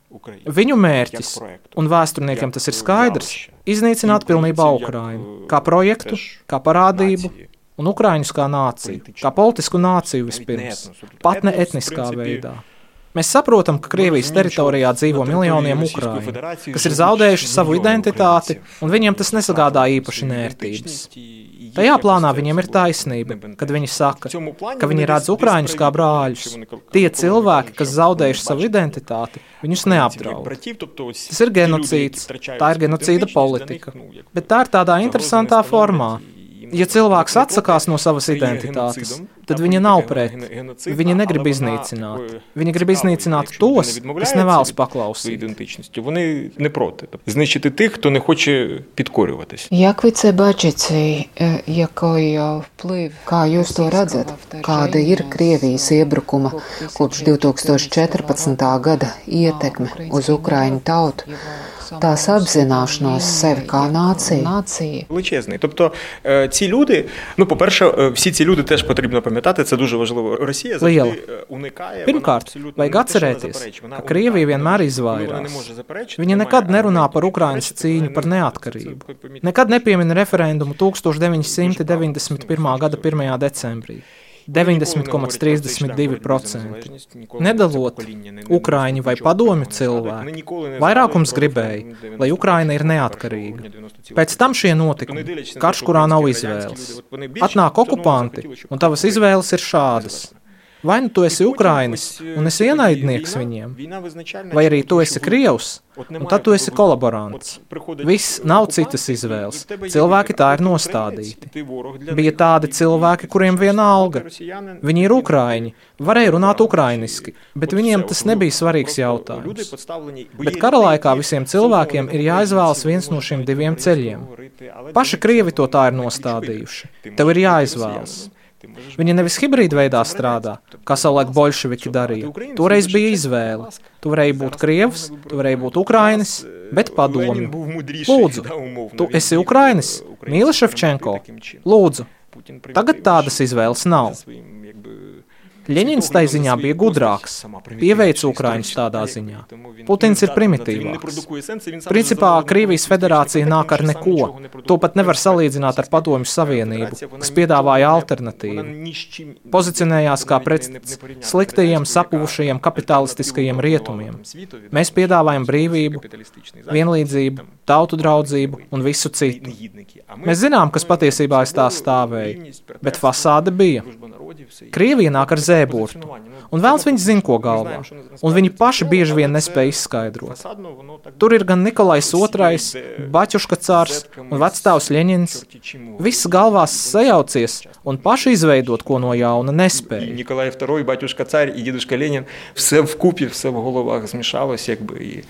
Viņu mērķis, un vēsturniekiem tas ir skaidrs, iznīcināt pilnībā Ukrainu, kā projektu, kā parādību, un Ukraiņus kā nāciju, kā politisku nāciju vispirms, pat ne etniskā veidā. Mēs saprotam, ka Krievijas teritorijā dzīvo miljoniem Ukraiņu, kas ir zaudējuši savu identitāti, un viņiem tas nesagādā īpaši nērtības. Tajā plānā viņiem ir taisnība, kad viņi saka, ka viņi redz Ukraiņus kā brāļus. Tie cilvēki, kas zaudējuši savu identitāti, viņus neapdraud. Tas ir genocīds, tā ir genocīda politika, bet tā ir tādā interesantā formā. Ja cilvēks atsakās no savas identitātes, tad viņa nav pret. Viņi negrib iznīcināt. Viņi grib iznīcināt tos, kas nevēlas paklausīt. Вони не проти. Знищити тих, хто не хоче підкорюватись. Як ви це бачите, який вплив? Kā jūs to redzat? Kāda ir Krievijas iebrukuma kopš 2014. gada ietekme uz Ukraiņu tautu? Tās apzināšanos sevi kā nācija. Величезний. Тобто ці люди, по-перше, всі ці люди теж потрібно пам'ятати, це дуже важливо. Росія завжди уникає. Pirmkārt, vajag atcerēties, ka Krievija vienmēr izvairās. Viņa nekad nerunā par Ukrainas cīņu par neatkarību. Nekad nepiemina referendumu 1991. gada 1. decembrī. 90,32%. Nedalot Ukraiņu vai padomju cilvēku, vairākums gribēja, lai Ukraina ir neatkarīga. Pēc tam šie notikumi, karš, kurā nav izvēles. Atnāk okupanti, un tavas izvēles ir šādas. Vai nu tu esi Ukrainis un esi ienaidnieks viņiem, vai arī tu esi Krievs, un tad tu esi kolaborants. Viss nav citas izvēles. Cilvēki tā ir nostādīti. Bija tādi cilvēki, kuriem viena alga. Viņi ir ukraiņi, varēja runāt ukrainiski, bet viņiem tas nebija svarīgs jautājums. Bet kara laikā visiem cilvēkiem ir jāizvēlas viens no šiem diviem ceļiem. Paši Krievi to tā ir nostādījuši. Tev ir jāizvēlas. Viņi nevis hibrīda veidā strādā, kā savulaik bolševiki darīja. Toreiz bija izvēle. Tu varēji būt Krievs, tu varēji būt Ukrainis, bet padomju. Lūdzu, tu esi Ukrainis, mīli Ševčenko? Lūdzu, tagad tādas izvēles nav. Ļeņins tai ziņā bija gudrāks, pieveica Ukraiņus tādā ziņā. Putins ir primitīvāks. Principā Krievijas federācija nāk ar neko. To pat nevar salīdzināt ar Padomju Savienību, kas piedāvāja alternatīvu. Pozicionējās kā pretsts sliktajiem, sapuvušajiem kapitalistiskajiem rietumiem. Mēs piedāvājam brīvību, vienlīdzību, tautu draudzību un visu citu. Mēs zinām, kas patiesībā aiz tā stāvēja, bet fasāde bija. Krievija nāk ar zēburtu, un vēlns viņi zina, ko galvā, un viņi paši bieži vien nespēja izskaidrot. Tur ir gan Nikolais II, Baķuška cārs un vecstāvs Ļeņins. Viss galvās sajaucies, un paši izveidot ko no jauna nespēja. Nikolai II, Baķuška цар і дідушка Ленін, все вкупі, все в головах змішалось, якби, і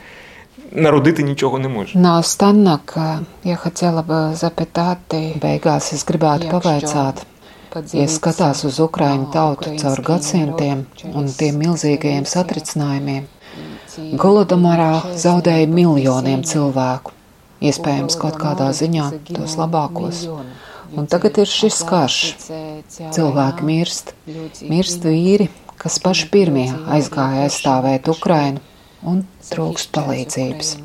народити нічого не може. Наостанок, я хотела бы запитать, beigās es gribētu pavaicāt, ja skatās uz Ukraiņu tautu caur gadsimtiem un tiem milzīgajiem satricinājumiem, Golodomorā zaudēja miljoniem cilvēku, iespējams kaut kādā ziņā tos labākos. Un tagad ir šis karš. Cilvēki mirst vīri, kas paši pirmie aizgāja aizstāvēt Ukrainu un trūkst palīdzības.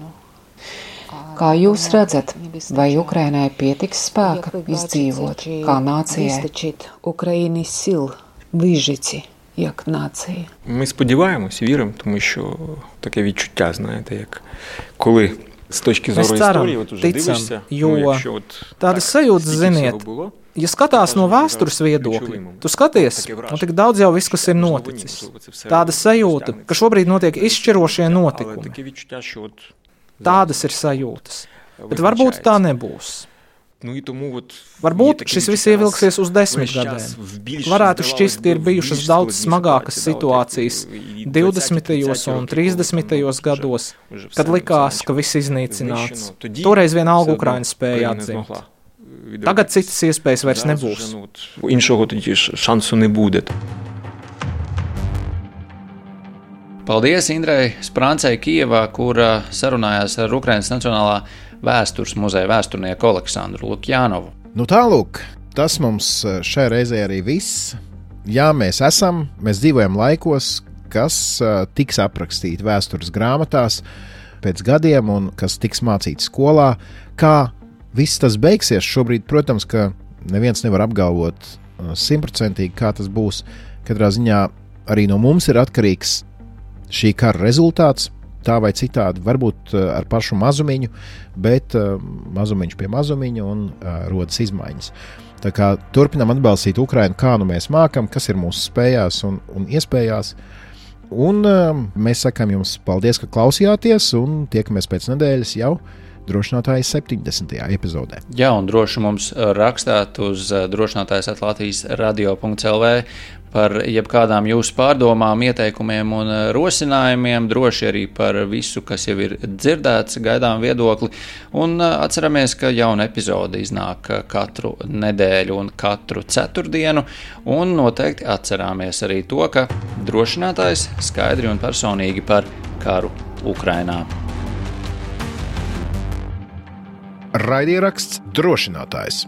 Kā jūs redzat, vai Ukrainai pietiks spēka izdzīvot kā нації? Україні сил вижити як нація. Ми сподіваємось, віримо, тому що таке відчуття, знаєте, як коли з точки зору історії от уже дивишся, якщо от tādas sajūtas, ziniet, ja skatās no vēstures viedokļa, tu skaties, tik daudz jau viss, kas ir noticis. Tāda sajūta, ka šobrīd notiek izšķirošie notikumi. Tādas ir sajūtas, bet varbūt tā nebūs. Varbūt šis viss ievilksies uz 10 gadiem. Varētu šķist, ka ir bijušas daudz smagākas situācijas 20. un 30. gados, kad likās, ka viss iznīcināts. Toreiz vienalga Ukraina spēja atzimt. Tagad citas iespējas vairs nebūs. Іншого тоді шансу не буде. Paldies Indrei Sprancei Kijevā, kura sarunājās ar Ukrainas Nacionālā vēstures muzeja vēsturnieku Aleksandru Lukjānovu. Nu tālūk, tas mums šai reizē arī viss. Jā, mēs dzīvojam laikos, kas tiks aprakstīti vēstures grāmatās pēc gadiem un kas tiks mācīts skolā. Kā viss tas beigsies šobrīd, protams, ka neviens nevar apgalvot 100%, kā tas būs. Katrā ziņā arī no mums ir atkarīgs šī kara rezultāts, tā vai citādi, varbūt ar pašu mazumiņu, bet mazumiņš pie mazumiņa un rodas izmaiņas. Tā kā turpinām atbalstīt Ukrainu, kā nu mēs mākam, kas ir mūsu spējās un iespējās. Un mēs sakām jums paldies, ka klausījāties, un tiekamies pēc nedēļas jau drošinātājas 70. epizodē. Jā, un droši mums rakstāt uz drošinātājs@latvijas radio.lv par jebkādām jūsu pārdomām, ieteikumiem un rosinājumiem, droši arī par visu, kas jau ir dzirdēts, gaidām viedokli. Un atceramies, ka jauna epizode iznāk katru nedēļu un katru ceturtdienu, un noteikti atcerāmies arī to, ka drošinātājs skaidri un personīgi par karu Ukrainā. Raidieraksts Drošinātājs.